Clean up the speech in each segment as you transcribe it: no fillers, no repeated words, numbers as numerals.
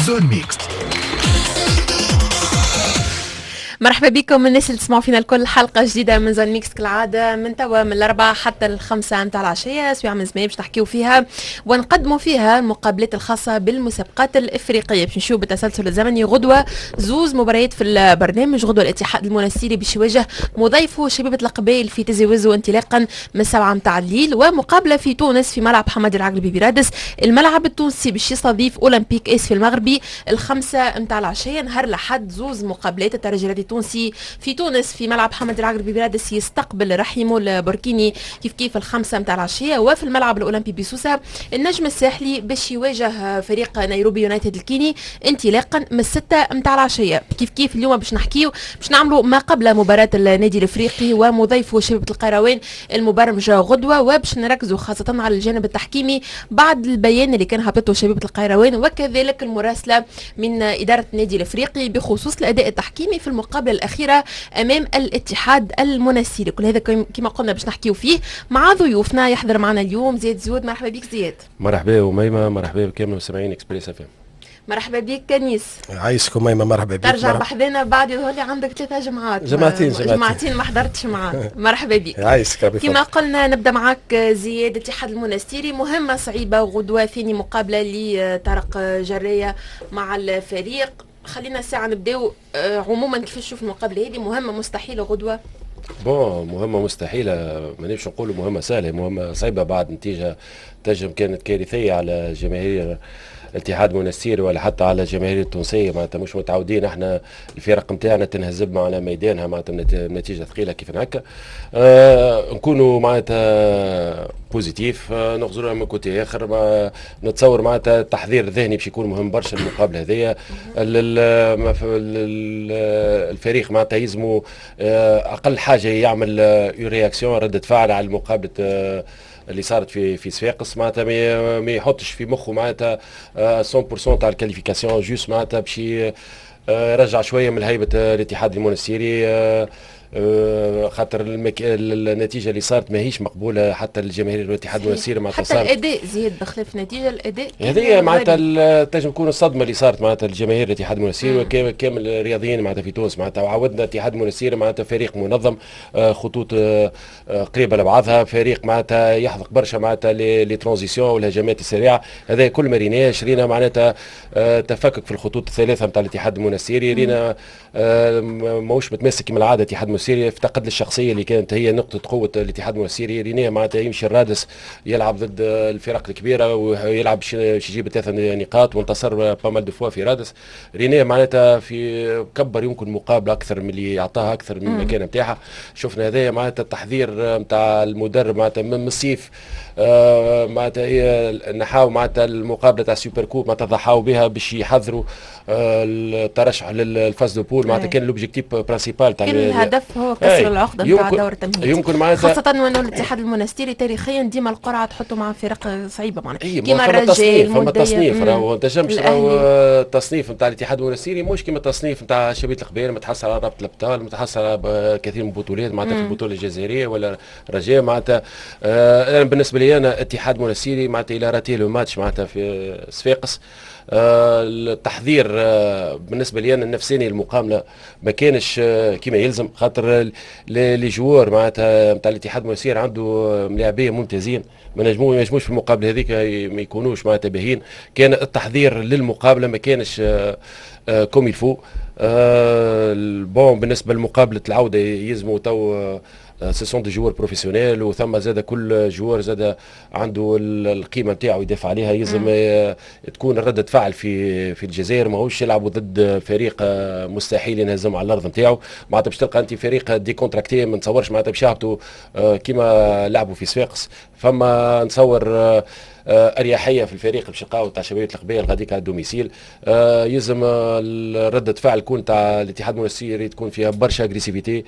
zone mixte. مرحبا بكم الناس اللي تسمعوا فينا الكل، حلقة جديدة من zone mixte كالعادة من توا من 4 حتى 5 نتاع العشية، سويعة من زمان باش نحكيو فيها ونقدموا فيها المقابلات الخاصة بالمسابقات الإفريقية. باش نمشيو بالتسلسل الزمني، غدوة زوز مباريات في البرنامج. غدوة الاتحاد المنستيري باش يواجه مضيفه شبيبة القبائل في تيزي وزو انطلاقا من 7 نتاع الليل، ومقابلة في تونس في ملعب حمادي العقربي برادس، الملعب التونسي باش يستضيف أولمبيك اس في المغربي 5 نتاع العشية. نهار الأحد زوز مقابلات، الترجي التونسي في تونس في ملعب حمد العقربي برادس يستقبل رحيمو البوركيني كيف كيف 5 متاع العشية، وفي الملعب الأولمبي بسوسة النجم الساحلي باش يواجه فريق نيروبي يونايتد الكيني انطلاقا من 6 متاع العشية. كيف كيف اليوم باش نحكيو باش نعملوا ما قبل مباراة النادي الافريقي ومضيفه شبيبة القيروان المبرمجة غدوة، وباش نركزوا خاصة على الجانب التحكيمي بعد البيان اللي كان هبطته شبيبة القيروان وكذلك المراسلة من إدارة النادي الافريقي بخصوص الأداء التحكيمي في المقابلة الأخيرة أمام الاتحاد المنستيري. كل هذا كما قلنا باش نحكيو فيه مع ضيوفنا. يحضر معنا اليوم زياد زيود، مرحبا بك زياد. مرحبا وميمة، مرحبا بكامل مستمعين Express FM. مرحبا بك كنيس. عايشكم ميمة، مرحبا بك. ترجع بحذنا بعد يظهر لي عندك 3 جمعات، جمعتين ما حضرتش معاك. مرحبا بك. عايشك. كما قلنا نبدا معاك زياد، الاتحاد المنستيري مهمة صعيبة وغدوة ثاني مقابلة لطارق جرية مع الفريق. خلينا ساعة نبداو عموما كيفاش تشوف المقابلة هذه، مهمة مستحيلة غدوة؟ bon مهمة مستحيلة مانيش نقولوا مهمة سهلة، مهمة صعيبة بعد نتيجة تنجم كانت كارثية على جماهير الاتحاد المنستيري ولا حتى على الجماهير التونسية. معناتها مش متعودين احنا الفرق نتاعنا تنهزم على ميدانها معناتها نتيجة ثقيلة كيف هكا. نكونوا معناتها positif، نغزروا من côté اخر. ما نتصور معناتها التحضير الذهني باش يكون مهم برشا المقابلة هذيا. الفريق معناتها يلزموا اقل حاجة يعمل une réaction، ردة فعل على المقابلة اللي صارت في صفاقس. معناتها ما يحطش في مخه معناتها 100% تاع ال qualification، juste معناتها باش يرجع شوية من هيبة الاتحاد المونستيري، خاطر النتيجة اللي صارت ماهيش مقبولة حتى للجماهير الاتحاد المونستيري. معناتها حتى الاداء زياد بخلاف النتيجة، الاداء هذه معناتها تنجم تكون الصدمة اللي صارت معناتها للجماهير الاتحاد المونستيري وكامل الرياضيين معناتها في تونس. معناتها عودنا الاتحاد المونستيري معناتها فريق منظم، خطوط قريبه لبعضها، فريق معناتها يحذق برشا معناتها les transitions والهجمات السريعة. هذا كل ما ريناش، رينا معناتها تفكك في الخطوط الثلاثة نتاع الاتحاد المونستيري. رينا ماهوش متماسك كما العادة الاتحاد المونستيري، افتقد للشخصية اللي كانت هي نقطة قوة الاتحاد المونستيري. رينيه معناتها يمشي الرادس يلعب ضد الفرق الكبيرة ويلعب باش يجيب 3 نقاط وانتصر pas mal de fois في رادس. رينيه معناتها في كبر يمكن مقابله اكثر من اللي يعطاها، اكثر من المكان نتاعها. شفنا هذايا معناتها التحضير نتاع المدرب معناتها من الصيف، معناتها هي نحاو معناتها المقابلة تاع super coupe معناتها ضحاو بها باش يحضروا الترشح لل phase de poules. معناتها كان l'objectif principal تاع كان الهدف هو كسر العقدة نتاع دور التمهيدي. يمكن معناتها خاصة وانه الاتحاد المونستيري تاريخيا ديما القرعة تحطه مع فرق صعيبة معناتها كيما الرجاء. فما تصنيف، راهو ما تنجمش، راهو التصنيف نتاع الاتحاد المونستيري مش كيما التصنيف نتاع شبيبة القبائل، متحصل على رابطه الابطال، متحصل على كثير من البطولات معناتها في البطولة الجزائرية ولا الرجاء. معناتها انا بالنسبة لي انا اتحاد مونستيري معناتها il a raté le match معناتها في صفاقس. التحضير بالنسبة لي انا النفساني المقابلة ما كانش كما يلزم، خاطر les joueurs معناتها نتاع الاتحاد المونستيري عنده ملاعبيه ممتازين، ما ينجموش في المقابلة هذيك ما يكونوش معناتها باهين. كان التحضير للمقابله ما كانش comme il faut. bon بالنسبة لمقابلة العودة يلزموا تو ce sont des joueurs professionnels، وثم زاد كل joueur زاد عنده القيمة نتاعو يدافع عليها. يلزم تكون ردة فعل في الجزائر، ماهوش يلعبوا ضد فريق مستحيل ينهزم على الارض نتاعو. معناتها باش تلقى انت فريق décontracté، ما نتصورش معناتها باش يهبطوا كيما لعبوا في صفاقس. فما نتصور اريحية في الفريق باش يلقاو تاع شبيبة القبائل غاديك على ال domicile. يلزم ردة فعل تكون تاع الاتحاد المونستيري تكون فيها برشا agressivité،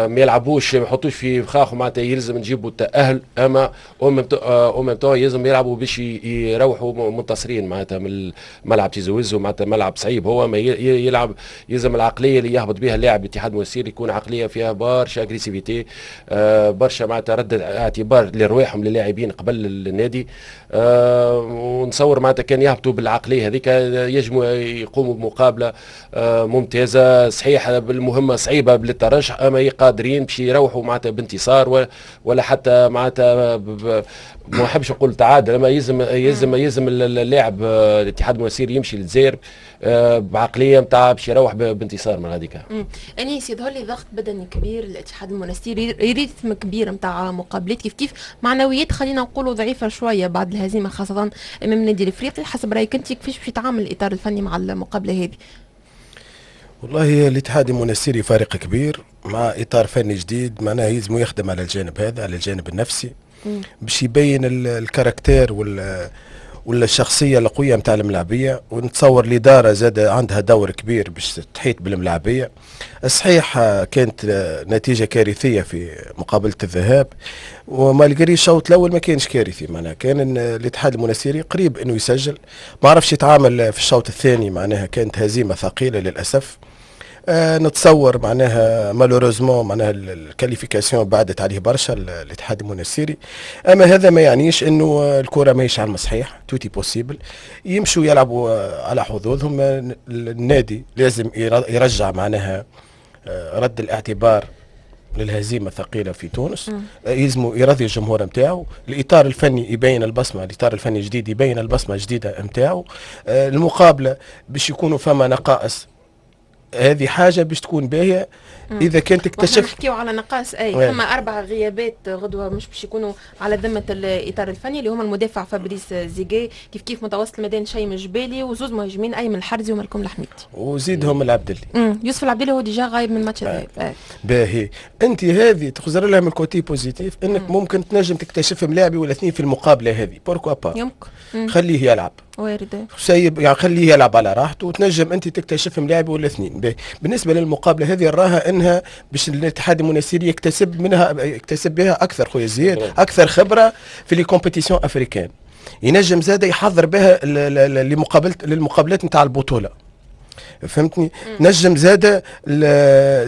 ما يلعبوش ما يحطوش في فخاخ معناتها يلزم نجيبوا التاهل، اما au même temps يلزم يلعبوا باش يروحوا منتصرين معناتها من ملعب تيزي وزو، معناتها ملعب صعيب هو ما يلعب. يلزم العقلية اللي يهبط بها اللاعب الاتحاد المونستيري يكون عقلية فيها برشا agressivité، برشا معناتها رد اعتبار لرواحهم للاعبين قبل النادي. ونصور معناتها كان يهبطوا بالعقليه هذيك يجموا يقوموا بمقابله ممتازه. صحيح المهمة صعيبة للترشح، اما قادرين باش يروحوا معناتها بانتصار ولا حتى معناتها ما نحبش نقول تعادل، اما يلزم اللاعب الاتحاد المنستيري يمشي للجزائر بعقلية نتاع باش يروح بانتصار من هذيك. انيس، يظهر لي ضغط بدني كبير للاتحاد المنستيري، rythme كبير نتاع مقابلات، كيف كيف معنويات خلينا نقولوا ضعيفة شوية بعد الهزيمة خاصة امام النادي الافريقي. حسب رايك انت كيفاش باش يتعامل الاطار الفني مع المقابلة هذه؟ والله الاتحاد المنستيري فريق كبير مع اطار فني جديد، معناه يلزم يخدم على الجانب هذا، على الجانب النفسي، باش يبين ال caractère ولا الشخصية القوية نتاع الملاعبيه. ونتصور الادارة زاد عندها دور كبير باش تحيط بالملاعبيه. صحيح كانت نتيجة كارثية في مقابله الذهاب، و malgré الشوط الاول ما كانش كارثي، معناها كان الاتحاد المنستيري قريب انه يسجل، ما عرفش يتعامل في الشوط الثاني، معناها كانت هزيمة ثقيلة للاسف. نتصور معناها malheureusement معناها ال qualification بعدت عليه برشا الاتحاد المنستيري، اما هذا ما يعنيش انه الكره ماهيش على المصحيح، tout est possible. يمشوا يلعبوا على حظوظهم. النادي لازم يرجع معناها رد الاعتبار للهزيمه الثقيلة في تونس، يلزموا يرضي الجمهور نتاعو، الاطار الفني يبين البصمه، الاطار الفني الجديد يبين البصمة الجديدة نتاعو. المقابلة باش يكونوا فما نقائص، هذه حاجة باش تكون باهيه اذا كانت تكتشف. نحكيو على نقائص، اي فما اربع غيابات غدوه مش باش يكونوا على ذمه الاطار الفني، اللي هما المدافع فابريس زيجي، كيف كيف متوسط الميدان شيم الجبالي، وزوز مهاجمين ايمن الحرزي ومالكم الحميدي. وزيدهم العبدلي. يوسف العبدلي هو déjà غايب من ماتش الذهاب. باهي، انت هذه تخزر لها من ال côté positif، انك ممكن تنجم تكتشف ملاعبي ولا اثنين في المقابلة هذه، pourquoi pas. يمكن. خليه يلعب. وارد. سيب يعني خليه يلعب على راحته وتنجم انت تكتشف ملاعب ولا اثنين. بالنسبة للمقابله هذه نراها انها باش الاتحاد المنستيري يكتسب منها، يكتسب بها اكثر خويا زياد، اكثر خبره في les compétitions africaines، ينجم زاد يحضر بها لمقابلة للمقابلات نتاع البطوله، فهمتني؟ نجم زاد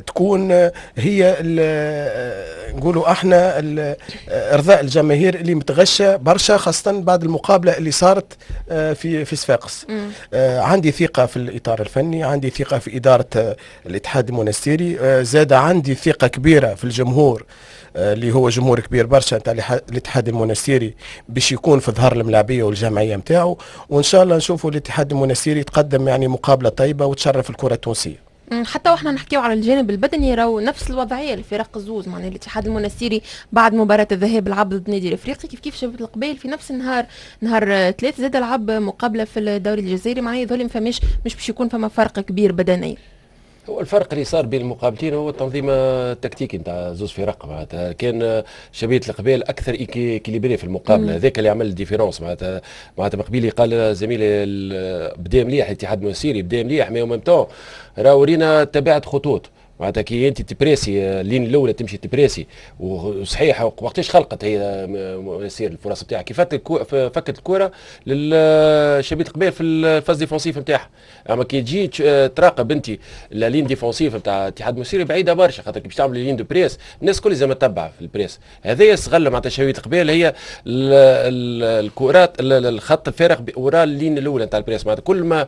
تكون هي نقولوا احنا ارضاء الجماهير اللي متغشه برشا، خاصة بعد المقابلة اللي صارت في صفاقس. عندي ثقة في الاطار الفني، عندي ثقة في ادارة الاتحاد المونستيري، زاد عندي ثقة كبيرة في الجمهور اللي هو جمهور كبير برشا نتاع الاتحاد المونستيري باش يكون في ظهر الملاعبيه والجمعية نتاعو، وان شاء الله نشوفوا الاتحاد المونستيري يتقدم يعني مقابله طيبة وتشرف الكره التونسية. حتى واحنا نحكيو على الجانب البدني راهو نفس الوضعية الفرق الزوز، معناها الاتحاد المونستيري بعد مباراة الذهاب لعب ضد النادي الافريقي، كيف كيف شبيبة القبائل في نفس النهار نهار ثلاث زاد لعب مقابله في الدوري الجزائري، معناها يظهر ما فماش مش باش يكون فما فرق كبير بدنيا. هو الفرق اللي صار بين المقابلتين هو التنظيم التكتيكي نتاع زوز فرق، معناتها كان شبيبة القبائل اكثر équilibré في المقابلة، هذاك اللي عمل ال différence. معناتها قبيلي قال زميلي بدا مليح الاتحاد المنستيري، بدا مليح، mais même temps راهو رينا تباعد خطوط، معناتها كي انت تبريسي ال ligne الاولى تمشي تبريسي، وصحيح وقتاش خلقت هي يصير الفرص نتاعها؟ كيف فكت الكره للشبيبه القبائل في ال phase défensive نتاعها. اما كي تجي تراقب انت la ligne défensive نتاع الاتحاد المنستيري بعيدة برشا، خاطر كي باش تعمل ligne de presse الناس الكل لازم تتبع في ال presse. هذايا استغل معناتها شبيبة القبائل هي الكرات الخط الفارغ وراء ال ligne الاولى نتاع ال presse، معناتها كل ما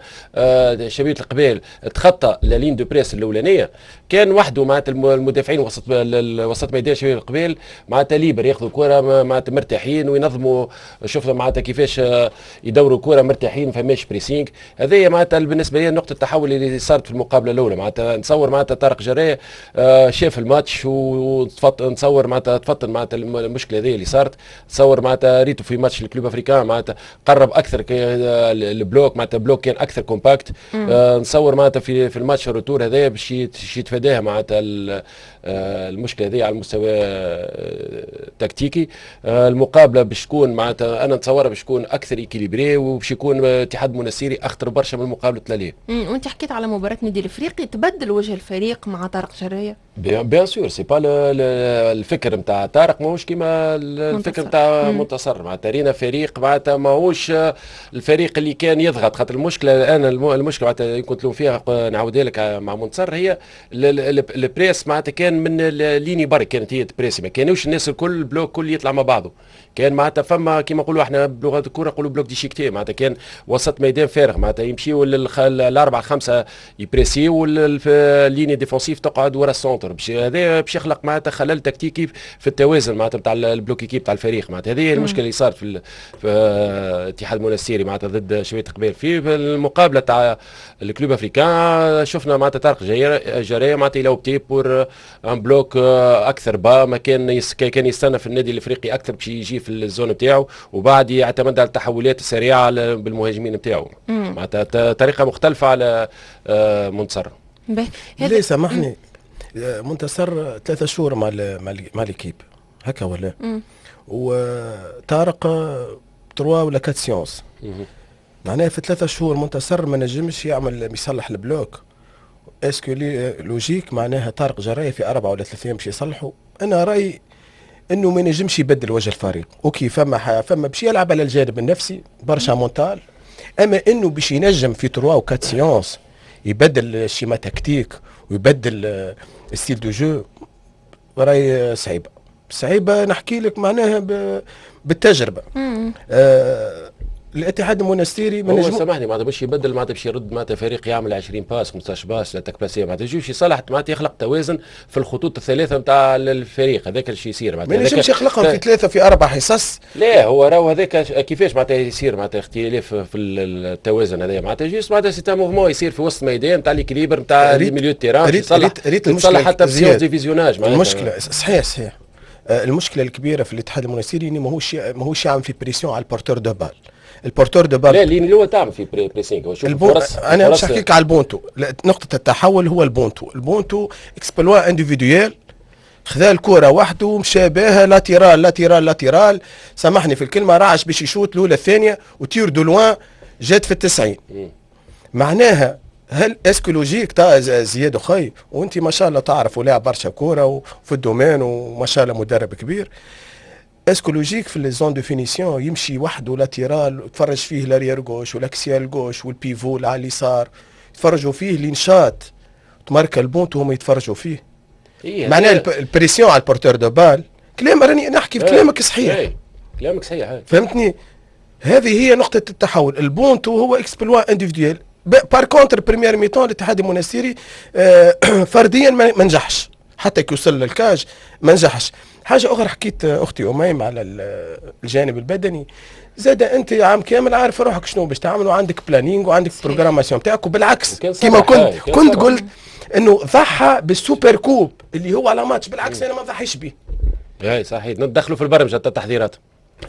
شبيبة القبائل تخطى la ligne de presse الاولانية كان وحده معناتها المدافعين وسط ميدان شبيبة القبائل معناتها libres ياخذوا الكره معناتها مرتاحين وينظموا. شفنا معناتها كيفاش يدوروا الكره مرتاحين، ما فماش pressing. هذه معناتها بالنسبة لي نقطة التحول اللي صارت في المقابلة الاولى. معناتها نتصور معناتها طارق جرايه شاف الماتش ونتصور معناتها تفطن معناتها المشكلة هذه اللي صارت. تصور معناتها ريتو في ماتش ال Club Africain معناتها قرب اكثر ال bloc، معناتها bloc كان اكثر compact. نتصور معناتها في الماتش ال retour هذا باش يتفاداها معناتها المشكلة هذه على المستوى التكتيكي. المقابلة باش تكون معناتها انا نتصورها باش تكون اكثر équilibrée وباش يكون اتحاد منستيري اخطر برشا من مقابله l'aller. وانت حكيت على مباراة النادي الافريقي، تبدل وجه الفريق مع طارق جرايه؟ bien sûr، c'est pas الفكر نتاع طارق ماهوش كيما الفكر نتاع منتصر. معناتها رينا فريق معناتها ماهوش الفريق اللي كان يضغط، خاطر المشكلة الان المشكلة معناتها كنت تلوم فيها نعاودها لك مع منتصر هي ال presse، معناتها كان من ligne برك كانت هي تبريسي، ما كانوش الناس الكل ال bloc كل يطلع مع بعضه. كان معناتها فما كيما نقولوا احنا بلغه الكره نقولوا bloc déchiqueté، معناتها كان وسط ميدان فارغ، معناتها يمشيوا الاربعة خمسة يبريسي وال ligne défensive تقعد ورا ال centre، باش هذا باش يخلق معناتها خلل تكتيكي في التوازن معناتها نتاع ال bloc équipe تاع الفريق. معناتها هذه هي المشكلة اللي صارت في اتحاد المنستيري معناتها ضد شبيبة قبائل. في المقابلة تاع ال Club Africain شفنا معناتها طارق جرايه معناتها il a opté pour un bloc اكثر bas، ما كان يستنى في النادي الافريقي اكثر باش يجي في ال zone نتاعو، وبعد يعتمد على التحولات السريعة بالمهاجمين نتاعو، معناتها طريقه مختلفة على منتصر. ليه سامحني، منتصر 3 شهور مع l'équipe هكا ولا؟ وطارق 3 ولا 4 séances، معناها في 3 شهور منتصر ما نجمش يعمل يصلح ال bloc. est-ce que logique معناها طارق جرايه في 4 ولا 3 ايام باش يصلحوا؟ انا رايي انه ما نجمش يبدل وجه الفريق. OK، فما باش يلعب على الجانب النفسي برشا mental، اما انه باش ينجم في 3 و 4 séances يبدل ال schéma tactique ويبدل ال style de jeu راهي صعيبة صعيبه. نحكي لك معناها بالتجربه. الاتحاد المونستيري ما نجم، سامحني، معناتها باش يبدل معناتها باش يرد معناتها فريق يعمل 20 passes، 15 passes، l'attaque placée، معناتها يجيش يصلح، معناتها يخلق توازن في الخطوط الثلاثة نتاع الفريق، هذاك الشيء يصير. معناتها ما ينجمش يخلقهم في ثلاثة في اربع حصص. لا، هو راهو هذاك كيفاش معناتها يصير معناتها اختلاف في التوازن هذا، معناتها juste معناتها c'est un mouvement يصير في وسط الميدان نتاع l'équilibre نتاع les milieux terrain. يصلح ريت المشكلة حتى في de visionnage. المشكلة صحيح صحيح، المشكلة الكبيرة في الاتحاد المونستيري انه ماهوش يعمل في pression على ال porteur de balle، ال porteur de balle. لا، اللي هو تعمل في pressing. هو شوف فرص، انا مش نحكيك على البونتو. نقطة التحول هو البونتو. البونتو exploit individuel، خذا الكرة وحده ومشى بها latéral latéral latéral، سامحني في الكلمة، رعش باش يشوت الأولى الثانية و tir de loin جات في التسعين. معناها هل est-ce que logique تا زياد اخي، وانت ما شاء الله تعرف ولاعب برشا كورة وفي ال domaine وما شاء الله مدرب كبير، est-ce que logique في les zones de finition يمشي وحده latéral، تفرج فيه l'arrière gauche وال axial gauche وال pivot على اليسار يتفرجوا فيه لين شاط تماركا البونت وهم يتفرجوا فيه؟ إيه، معناها ال pression على ال porteur de balle. كلام راني نحكي في كلامك صحيح. إيه. كلامك صحيح. فهمتني، هذه هي نقطة التحول، البونتو هو exploit individuel. par contre première mi-temps الاتحاد المونستيري فرديا ما نجحش، حتى كي وصل لل cage ما نجحش. حاجة اخرى، حكيت اختي اميم على الجانب البدني زاد، انت عام كامل عارف روحك شنو باش تعمل وعندك planning وعندك programmation تاعك، وبالعكس كما كنت قلت انه ضحى بال super coupe اللي هو على ماتش، بالعكس انا ما ضحيش به. اي صحيح، ندخلوا في البرمجة التحضيرات.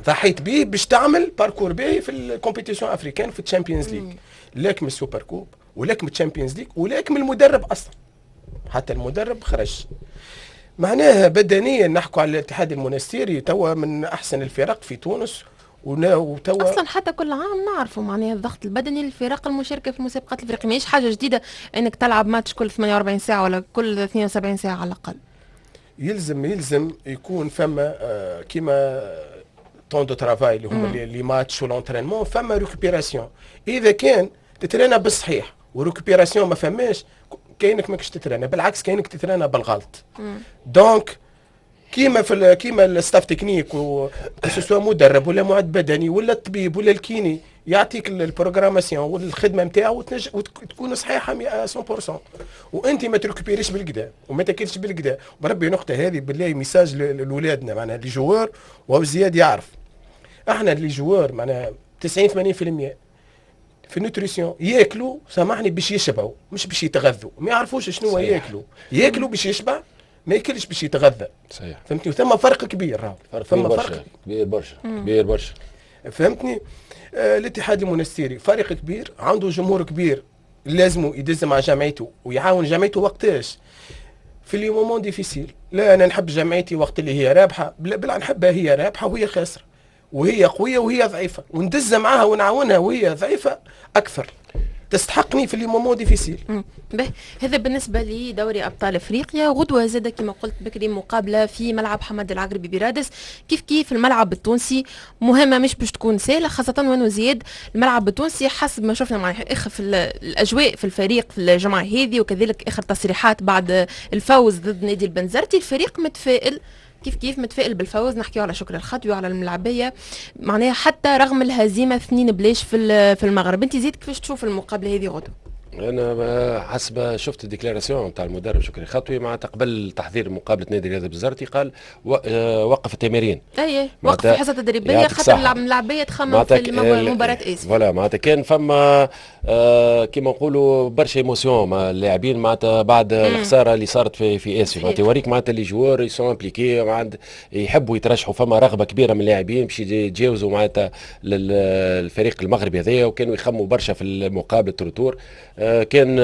ضحيت به باش تعمل parcours باهي في ال compétition africaine، في ال Champions League، لكن من ال super coupe ولكن من ال Champions League ولكن من المدرب اصلا، حتى المدرب خرج. معناها بدنيا نحكوا على الاتحاد المونستيري توا من احسن الفرق في تونس. وتوا اصلا حتى كل عام نعرفوا معناها الضغط البدني للفرق المشاركة في المسابقات الافريقية، ماهيش حاجة جديدة انك تلعب ماتش كل 48 ساعة ولا كل 72 ساعة على الاقل. يلزم يكون فما كيما temps de travail اللي هما les matchs و l'entraînement، فما récupération. اذا كان تترينا بالصحيح و récupération ما فماش، كاينك ماكش تترينا، بالعكس كاينك تترينا بالغلط. donc كيما ال staff technique، soit مدرب ولا معد بدني ولا الطبيب ولا ال kiné، يعطيك ال programmation والخدمة نتاعو وتكون صحيحه 100%، وانت ما تركبيريش بالقدا وما تاكلش بالقدا. بربي نقطة هذه بالله message لاولادنا معناها les joueurs، وهو زياد يعرف، احنا les joueurs معناها 90 80% في ال nutrition ياكلوا، سامحني، باش يشبعوا مش باش يتغذوا. ما يعرفوش شنو ياكلوا، ياكلوا باش يشبع، ما ياكلش باش يتغذى. فهمتني؟ وثم فرق كبير راهو. فرق ثم فرق كبير برشا، كبير برشا. فهمتني؟ الاتحاد المونستيري فريق كبير عنده جمهور كبير، لازم يدز مع جمعيته ويعاون جمعيته. وقتاش؟ في les moments difficiles. لا، انا نحب جمعيتي وقت اللي هي رابحه، بلا نحبها هي رابحه وهي خاسره، وهي قوية وهي ضعيفه، وندز معاها ونعاونها وهي ضعيفة اكثر، تستحقني في les moments difficiles. به، هذا بالنسبة لدوري ابطال افريقيا. غدوه زاد كما قلت بكري مقابله في ملعب حمد العقربي برادس، كيف كيف الملعب التونسي، مهمة مش باش تكون سهله، خاصة وانه زياد الملعب التونسي حسب ما شفنا مع اخر في الاجواء في الفريق في الجمعة هذه، وكذلك اخر تصريحات بعد الفوز ضد نادي البنزرتي، الفريق متفائل. كيف كيف متفائل بالفوز. نحكيو على شكري الخطوي وعلى الملعبيه، معناها حتى رغم الهزيمة 2-0 في المغرب. انت زيد كيفاش تشوف المقابلة هذه غدوه؟ انا حسب شفت ال déclaration نتاع المدرب شكري خطوي معناتها قبل تحضير مقابله نادي الرياضي البنزرتي، قال وقف التمارين. اي، وقف الحصة التدريبية خاطر الملاعبيه تخمم في مباراة اسفي. voilà، معناتها كان فما كيما نقولوا برشا émotion مع اللاعبين معناتها بعد الخسارة اللي صارت في اسفي. معناتها يوريك معناتها les joueurs sont impliqués، يحبوا يترشحوا، فما رغبة كبيرة من اللاعبين باش يتجاوزوا معناتها الفريق المغربي هذايا، وكانوا يخموا برشا في المقابلة retour. كان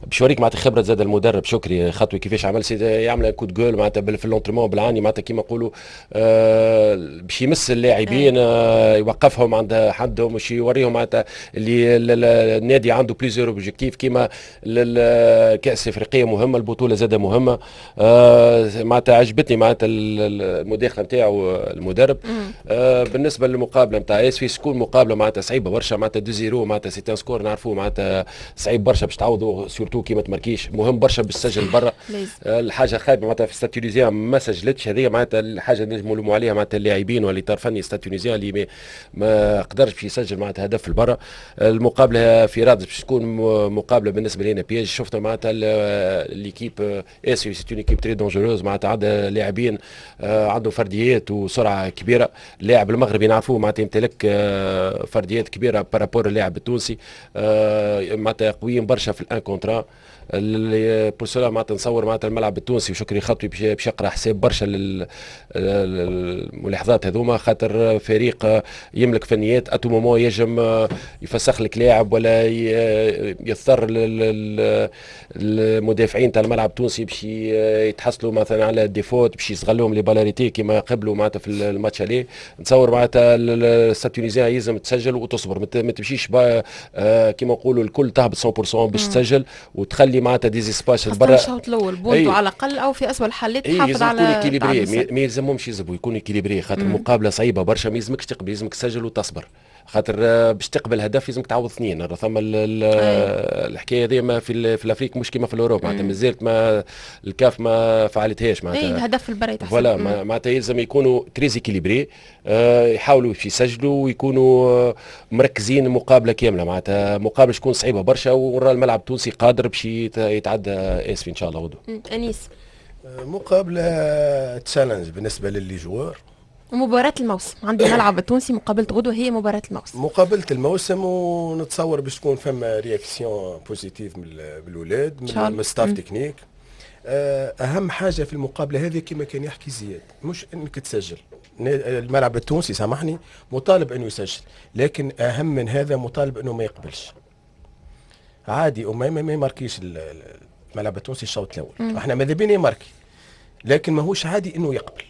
باش يوريك معناتها خبره زاد المدرب شكري خطوي كيفاش عمل، يعمل coup de gueule معناتها في l'entraînement بالعاني، معناتها كيما نقولوا باش يمس اللاعبين، يوقفهم عند حدهم، باش يوريهم معناتها اللي النادي عنده plusieurs objectifs، كيما الكاس الافريقية مهمه، البطولة زاده مهمه. معناتها عجبتني معناتها المداخلة نتاعو المدرب. بالنسبة للمقابله نتاع اسفي، تكون مقابله معناتها صعيبة برشا، معناتها 2-0 معناتها c'est un score نعرفوه معناتها صعيب برشا باش تعوضوا، surtout كي ما تماركيش، مهم برشا باش تسجل برا. الحاجة خايبة معناتها في Stade Tunisien ما سجلتش، هذه معناتها الحاجة اللي نجموا نلوموا عليها معناتها اللاعبين والاطار الفني Stade Tunisien اللي ما قدرش باش يسجل معناتها هدف البرا. المقابلة في رادس باش تكون مقابله بالنسبة لنا piège. شفنا معناتها l'équipe اسفي c'est une équipe très dangereuse، معناتها عندها لاعبين عنده فرديات وسرعة كبيره. اللاعب المغربي نعرفوه معناتها يمتلك فرديات كبيرة par rapport اللاعب التونسي، معناتها قويين برشا في ال un contre un. pour cela معناتها نصور معناتها الملعب التونسي وشكري خطوي باش يقرا حساب برشا للملاحظات هذوما، خاطر فريق يملك فنيات، à tout moment يجم يفسخ لك لاعب ولا يضطر المدافعين تاع الملعب التونسي باش يتحصلوا مثلا على des fautes باش يستغلوهم les balles arrêtées كما قبلوا معناتها في ال match aller. نتصور معناتها ال Stade Tunisien يلزم تسجل وتصبر، ما تمشيش كما نقولوا الكل تهبط 100% باش تسجل وتخلي معناتها des espaces برا. الشوط الاول بونتو على الاقل، او في اسوء الحالات تحافظ على équilibré. ما يلزمهمش يزربوا، يكونوا équilibrés، خاطر مقابله صعيبة برشا، ما يلزمكش تقبل، يلزمك تسجل وتصبر، خاطر باش تقبل هدف لازمك تعوض اثنين. ثم الحكاية هذه ما في l'Afrique مش كيما في l'Europe، معناتها مازالت ما الكاف ما فعلتهاش. معناتها اي، الهدف البرا. voilà، معناتها يلزم يكونوا très équilibrés، يحاولوا يسجلوا ويكونوا مركزين المقابلة كامله. معناتها مقابله تكون صعيبة برشا، ورا الملعب التونسي قادر باش يتعدى اسفي ان شاء الله غدوه. انيس. مقابله challenge بالنسبة ل les joueurs. مباراة الموسم عند الملعب التونسي، مقابلة غدوة هي مباراة الموسم. مقابلة الموسم، ونتصور باش تكون فما réaction positive من الاولاد، من ال staff technique. اهم حاجة في المقابلة هذه كما كان يحكي زياد مش انك تسجل، الملعب التونسي سامحني مطالب انه يسجل، لكن اهم من هذا مطالب انه ما يقبلش. عادي وما ما يماركيش الملعب التونسي الشوط الاول، احنا ماذا بينا يماركي، لكن ماهوش عادي انه يقبل.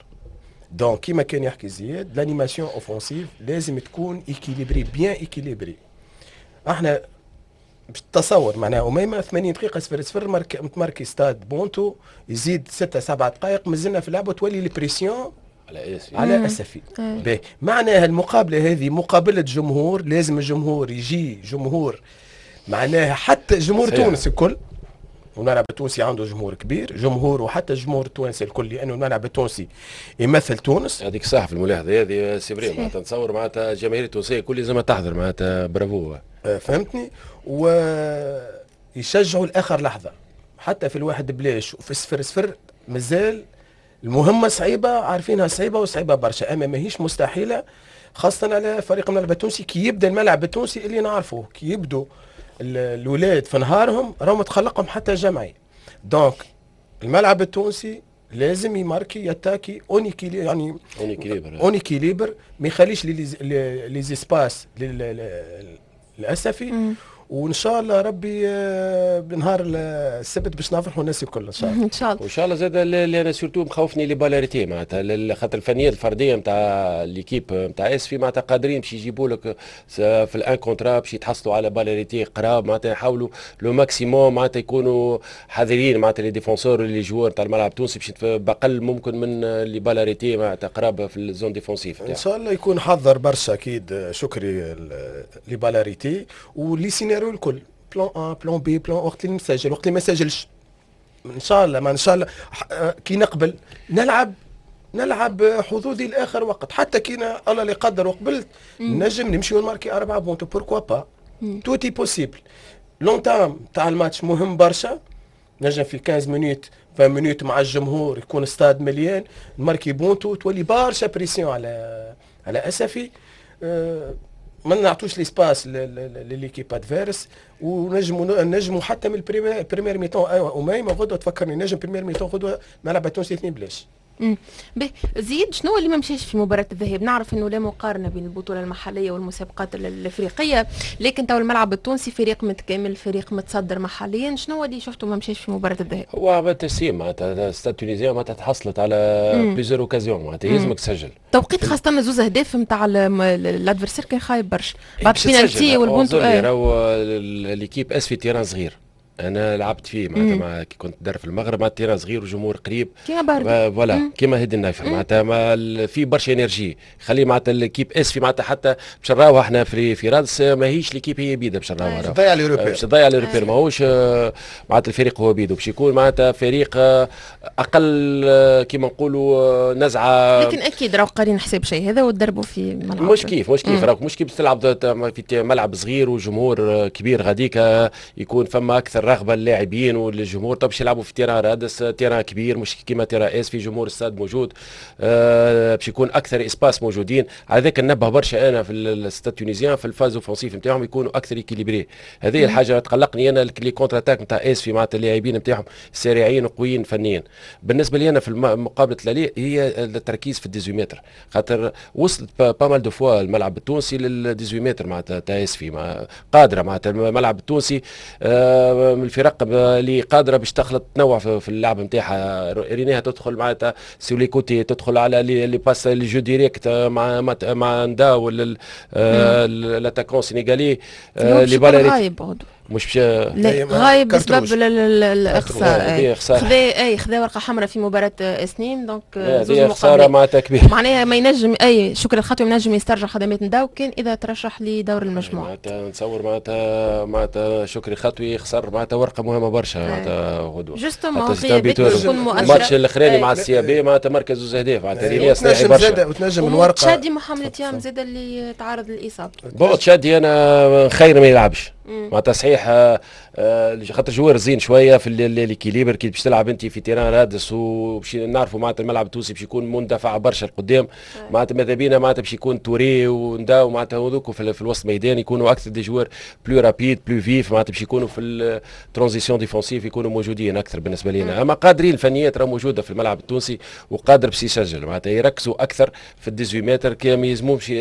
donc كيما كان يحكي زياد، l'animation offensive لازم تكون équilibrée، bien équilibrée. احنا باش تصور معناها اميمة 80 دقيقة 0-0، ماركي ستاد بونتو، يزيد 6 7 دقائق مازلنا في اللعبه، تولي la pression على اسفي. على اسفي. باهي، معناها المقابلة هذه مقابله جمهور، لازم الجمهور يجي، جمهور معناها حتى جمهور تونس الكل، والملعب التونسي عنده جمهور كبير، جمهور وحتى الجمهور التونسي الكل، لانه الملعب التونسي يمثل تونس. هذيك صح في الملاحظة هذه، c'est vrai، معناتها نتصور معناتها الجماهير التونسية كل لازم تحضر، معناتها برافو. فهمتني، ويشجعوا لاخر لحظه، حتى في 1-0 وفي 0-0 مازال المهمة صعيبه، عارفينها صعيبة وصعيبه برشا، اما ماهيش مستحيله، خاصة على فريق الملعب التونسي. كي يبدا الملعب التونسي اللي نعرفوه، كي يبدو الاولاد في نهارهم راهم تخلقهم حتى جمعي. donc الملعب التونسي لازم يماركي، يتاكي en équilibre، يعني en équilibre. en équilibre، ما يخليش les espaces للاسفي، وان شاء الله ربي بنهار السبت باش نفرحوا الناس الكل ان شاء الله. ان شاء الله. وان شاء الله زاد اللي انا surtout مخوفني les balles arrêtées، معناتها خاطر الفنيات الفردية نتاع l'équipe نتاع اسفي معناتها قادرين باش يجيبوا لك في ال un contre un، باش يتحصلوا على balle arrêtée قراب. معناتها يحاولوا le maximum معناتها يكونوا حذرين معناتها les défenseurs، les joueurs نتاع الملعب التونسي، باش باقل ممكن من les balles arrêtées معناتها قراب في ال zone défensive. ان شاء الله يكون حضر برشا اكيد شكري les balles arrêtées و les scénarios الكل، plan A، plan B، plan وقت اللي نسجل، وقت اللي ما سجلش، ان شاء الله ما ان شاء الله كي نقبل نلعب. نلعب حظوظي لاخر وقت، حتى كي الله اللي قدر وقبلت نجم نمشي ونماركي 4 بونتو، pourquoi pas، tout est possible. l'entame تاع الماتش مهم برشا، نجم في 15 minutes 20 minutes مع الجمهور يكون ستاد مليان، نماركي بونتو تولي برشا pression على اسفي، ما نعطوش l'espace ل l'équipe adverse، ونجموا حتى من ال première mi-temps. ايوه اميمة غدوه تفكرني، نجم première mi-temps غدوه ملعب التونسي 2-0. به زيد، شنو اللي ما مشاش في مباراة الذهاب؟ نعرف انه لا مقارنة بين البطولة المحلية والمسابقات الافريقية، لكن تو الملعب التونسي فريق متكامل، فريق متصدر محليا، شنو اللي شفته ما مشاش في مباراة الذهاب؟ هو التسليم معناتها Stade Tunisien معناتها تحصلت على plusieurs occasions، معناتها يلزمك تسجل. توقيت خاصة زوز اهداف نتاع l'adversaire كان خايب برشا بعد بينالتي والبونتو. راهو l'équipe اسفي terrain صغير، انا لعبت فيه معناتها مع كي كنت در في المغرب، مع terrain صغير وجمهور قريب. كيما باردو. voilà، كيما هادي النايفر، معناتها في برشا énergie، خلي معناتها l'équipe اسفي معناتها حتى باش نراوها احنا في رادس ماهيش l'équipe هي بيدا باش نراوها. تضيع les repères. باش تضيع les repères، ماهوش معناتها الفريق هو بيدو باش يكون معناتها فريق اقل كيما نقولوا نزعه. لكن اكيد راهو قارين حساب شيء هذا وتدربوا في ملعب. مش كيف راك مش كيف تلعب في ملعب صغير وجمهور كبير غاديك، يكون فما اكثر رغبة للاعبين والجمهور. طب باش يلعبوا في terrain رادس، terrain كبير مش كيما terrain اسفي، جمهور الستاد موجود، باش يكون اكثر espace موجودين. على ذاك ننبه برشا انا في ال Stade Tunisien في ال phase offensive نتاعهم يكونوا اكثر équilibrés. هذه الحاجة تقلقني انا، les contre-attaques نتاع اسفي معناتها اللاعبين نتاعهم سريعين وقويين فنيا. بالنسبة لي انا في مقابله l'aller هي التركيز في ال 18 متر، خاطر وصلت pas mal de fois الملعب التونسي لل 18 متر معناتها تاع اسفي، قادرة معناتها الملعب التونسي من الفرق اللي قادرة باش تخلط تنوع في اللعب نتاعها. ريناها تدخل معناتها sur les côtés، تدخل على les passes، les jeux directs مع نداو l'attaquant sénégalais. les balles مش باش لا، غايب بسبب الاقصاء، خذا اي خذا ورقة حمراء في مباراة اسنين، donc زوج خسارة معناتها كبيره. معناها ما ينجم اي شكري الخطوي ما ينجم يسترجع خدمات نداو كان اذا ترشح لدور المجموعة. معناتها نتصور معناتها شكري خطوي خسر معناتها ورقة مهمة برشا معناتها غدوه. justement تكون مؤثرة. الماتش الاخراني مع ال CAB معناتها مركز زوج اهداف، معناتها رينيا برشا. وتنجم الورقه. تشادي محمد تيام زاد اللي تعرض للاصابه. bon تشادي انا خير ما يلعبش معناتها صحيح، خاطر joueur زين شوية في l'équilibre. كي باش تلعب انت في terrain رادس وباش نعرفوا معناتها الملعب التونسي باش يكون مندفع برشا لقدام، معناتها ماذا بينا معناتها باش يكون توري ونداو معناتها هذوك في الوسط الميدان يكونوا اكثر des joueurs plus rapides، plus vifs، معناتها باش يكونوا في ال transition défensive يكونوا موجودين اكثر بالنسبة لنا. اما قادرين، الفنيات راه موجودة في الملعب التونسي وقادر باش يسجل، معناتها يركزوا اكثر في ال 18 متر كي ما يلزموش،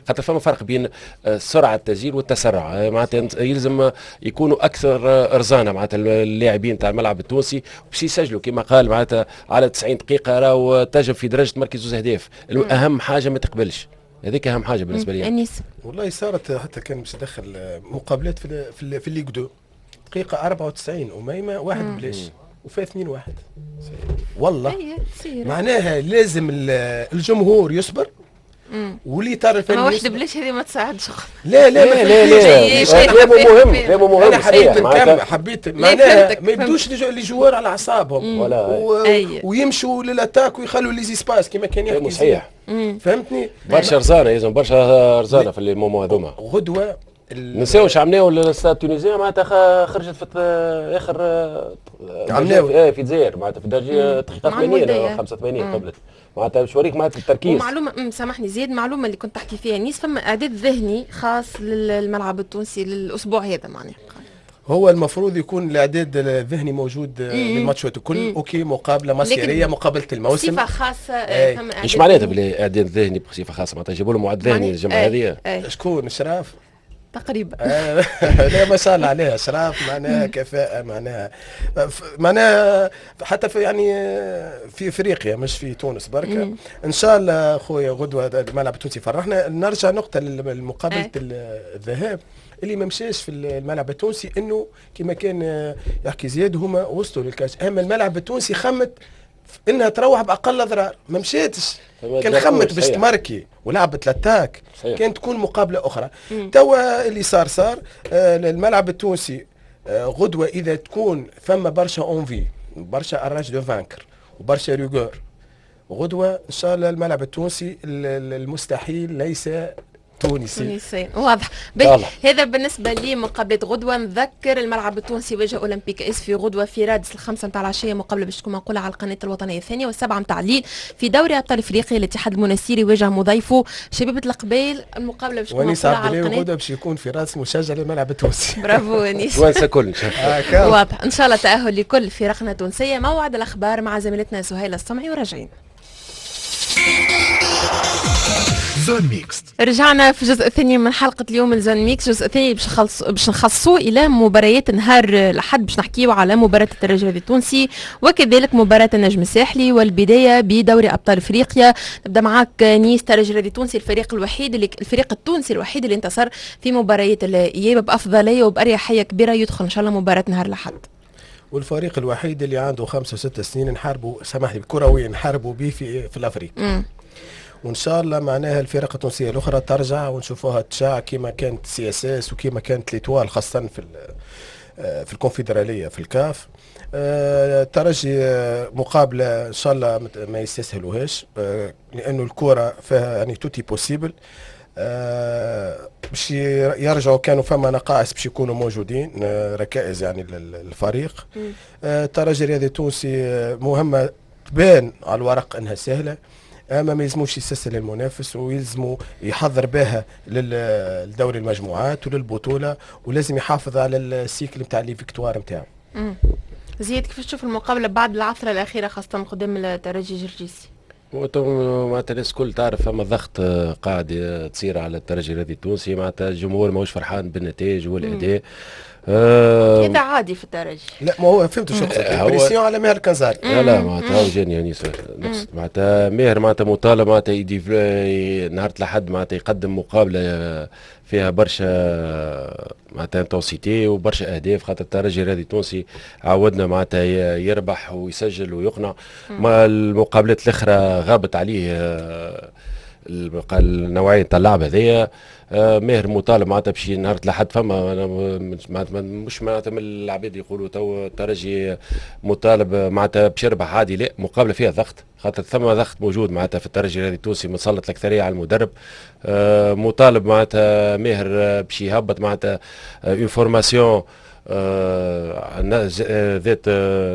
خاطر فما فرق بين سرعة التسجيل والتسرع، معناتها يلزم يكونوا اكثر رزانه معناتها اللاعبين تاع الملعب التونسي باش يسجلوا. كما قال معناتها على 90 دقيقة راهو تنجم في درجه تمركز زوز اهداف، اهم حاجة ما تقبلش، هذيك اهم حاجة بالنسبة لي. انيس. والله صارت حتى كان باش يدخل مقابلات في ال Ligue 2، دقيقة 94 اميمة 1-0 وفات 2-1 والله. معناها لازم الجمهور يصبر والاطار الفني. ما 1-0 هذه ما تساعدش. لا لا. لا لا لا، كلامه مهم، كلامه مهم. انا حبيت نكمل، حبيت معناها ما يبدوش les joueurs على اعصابهم ويمشوا لل attaque ويخلوا les espaces كما كان يحكي. صحيح. فهمتني. برشا رزانه، يلزم برشا رزانه في les moments هذوما. غدوه. نساوش عمناو ال Stade Tunisien معناتها خرجت في اخر عمناو في الجزائر معناتها في الدرجة دقيقة 80 85 قبلت، معناتها باش نوريك معناتها التركيز. ومعلومه، سامحني زيد، معلومة اللي كنت تحكي فيها نيس، فما اعداد ذهني خاص للملعب التونسي للاسبوع هذا معناها. هو المفروض يكون الاعداد الذهني موجود للماتشات الكل، OK، مقابله مصيريه، مقابله الموسم. بصفة خاصه. فما ايش معناتها بلي اعداد ذهني بصفة خاصه؟ معناتها جابوا لهم معد ذهني الجمعة هذه؟ شكون شراف؟ تقريبا. لا، ما شاء الله عليها اشراف، معناها كفاءة، معناها حتى في يعني في افريقيا مش في تونس بركة. ان شاء الله خويا غدوة الملعب التونسي فرحنا. نرجع نقطة لمقابلة الذهاب، اللي ما مشاش في الملعب التونسي انه كما كان يحكي زياد هما وصلوا لل cage، اما الملعب التونسي خمت انها تروح باقل اضرار، ما مشاتش. كان خمت باش تماركي ولعبت l'attaque كانت تكون مقابله اخرى. توا اللي صار صار. الملعب التونسي غدوه اذا تكون فما برشا envie، برشا rage de vaincre وبرشا rigueur. غدوه ان شاء الله الملعب التونسي المستحيل ليس تونسي. تونسي واضح. هذا بالنسبة لمقابلة غدوه. نذكر الملعب التونسي واجه اولمبيك اسفي غدوه في رادس 5 نتاع العشية، مقابله باش تكون منقوله على القناة الوطنية الثانية، و7 نتاع الليل في دوري ابطال افريقيا الاتحاد المنستيري واجه مضيفه شبيبة القبائل، المقابلة باش تكون منقوله على القناه. غدوه باش يكون في راس مشجع للملعب التونسي. برافو انيس. توانسة كل. واضح. ان شاء الله تاهل لكل فرقنا التونسيه. موعد الاخبار مع زميلتنا سهيلة الصمعي وراجعين. zone mixte. رجعنا في الجزء الثاني من حلقة اليوم من zone mixte، الجزء الثاني باش نخصصوه إلى مباريات نهار الأحد، باش نحكيو على مباراة الترجي التونسي وكذلك مباراة النجم الساحلي، والبداية بدوري أبطال أفريقيا. نبدأ معاك نيس. الترجي التونسي الفريق الوحيد اللي الفريق التونسي الوحيد اللي انتصر في مباريات الإياب بأفضلية وبأريحية كبيرة، يدخل إن شاء الله مباراة نهار الأحد. والفريق الوحيد اللي عنده 5 و6 سنين نحاربوا، سامحني كرويا، نحاربوا به في الأفريق. وان شاء الله معناها الفرق التونسية الاخرى ترجع ونشوفوها تشاع كما كانت CSS وكما كانت l'Étoile، خاصة في الكونفدراليه في الكاف. الترجي مقابله ان شاء الله ما يستسهلوهاش، لانه الكره فيها يعني tout est possible. باش يرجعوا كانوا فما نقائص باش يكونوا موجودين، ركائز يعني للفريق. الترجي الرياضي التونسي مهمة تبان على الورق انها سهلة، اما ما يلزموش يستسهل المنافس، ويلزمو يحضر بها للدوري المجموعات وللبطوله، ولازم يحافظ على ال cycle نتاع les victoires نتاعو. زياد، كيفاش تشوف المقابلة بعد العثره الاخيرة خاصة قدام الترجي الجرجيسي؟ معناتها الناس الكل تعرف فما ضغط قاعد تصير على الترجي الرياضي التونسي، معناتها الجمهور ماهوش فرحان بالنتائج والاداء. هذا عادي في الترجي. لا ما هو فهمت شو قصدك، pression على ماهر كنزاري. لا لا معناتها هو جاني يعني معناتها ماهر معناتها مطالب معناتها نهار الأحد معناتها يقدم مقابلة فيها برشا معناتها intensité وبرشا اهداف، خاطر الترجي الرياضي التونسي عودنا معناتها يربح ويسجل ويقنع. ما المقابلات الاخرى غابت عليه النوعية تاع اللعب هذيا. ماهر مطالب معناتها باش نهار الأحد فما مش معناتها من العباد يقولوا تو الترجي مطالب معناتها باش يربح عادي، لا مقابله فيها ضغط، خاطر ثم ضغط موجود معناتها في الترجي الرياضي التونسي متسلط الاكثرية على المدرب. مطالب معناتها ماهر باش يهبط معناتها une formation ذات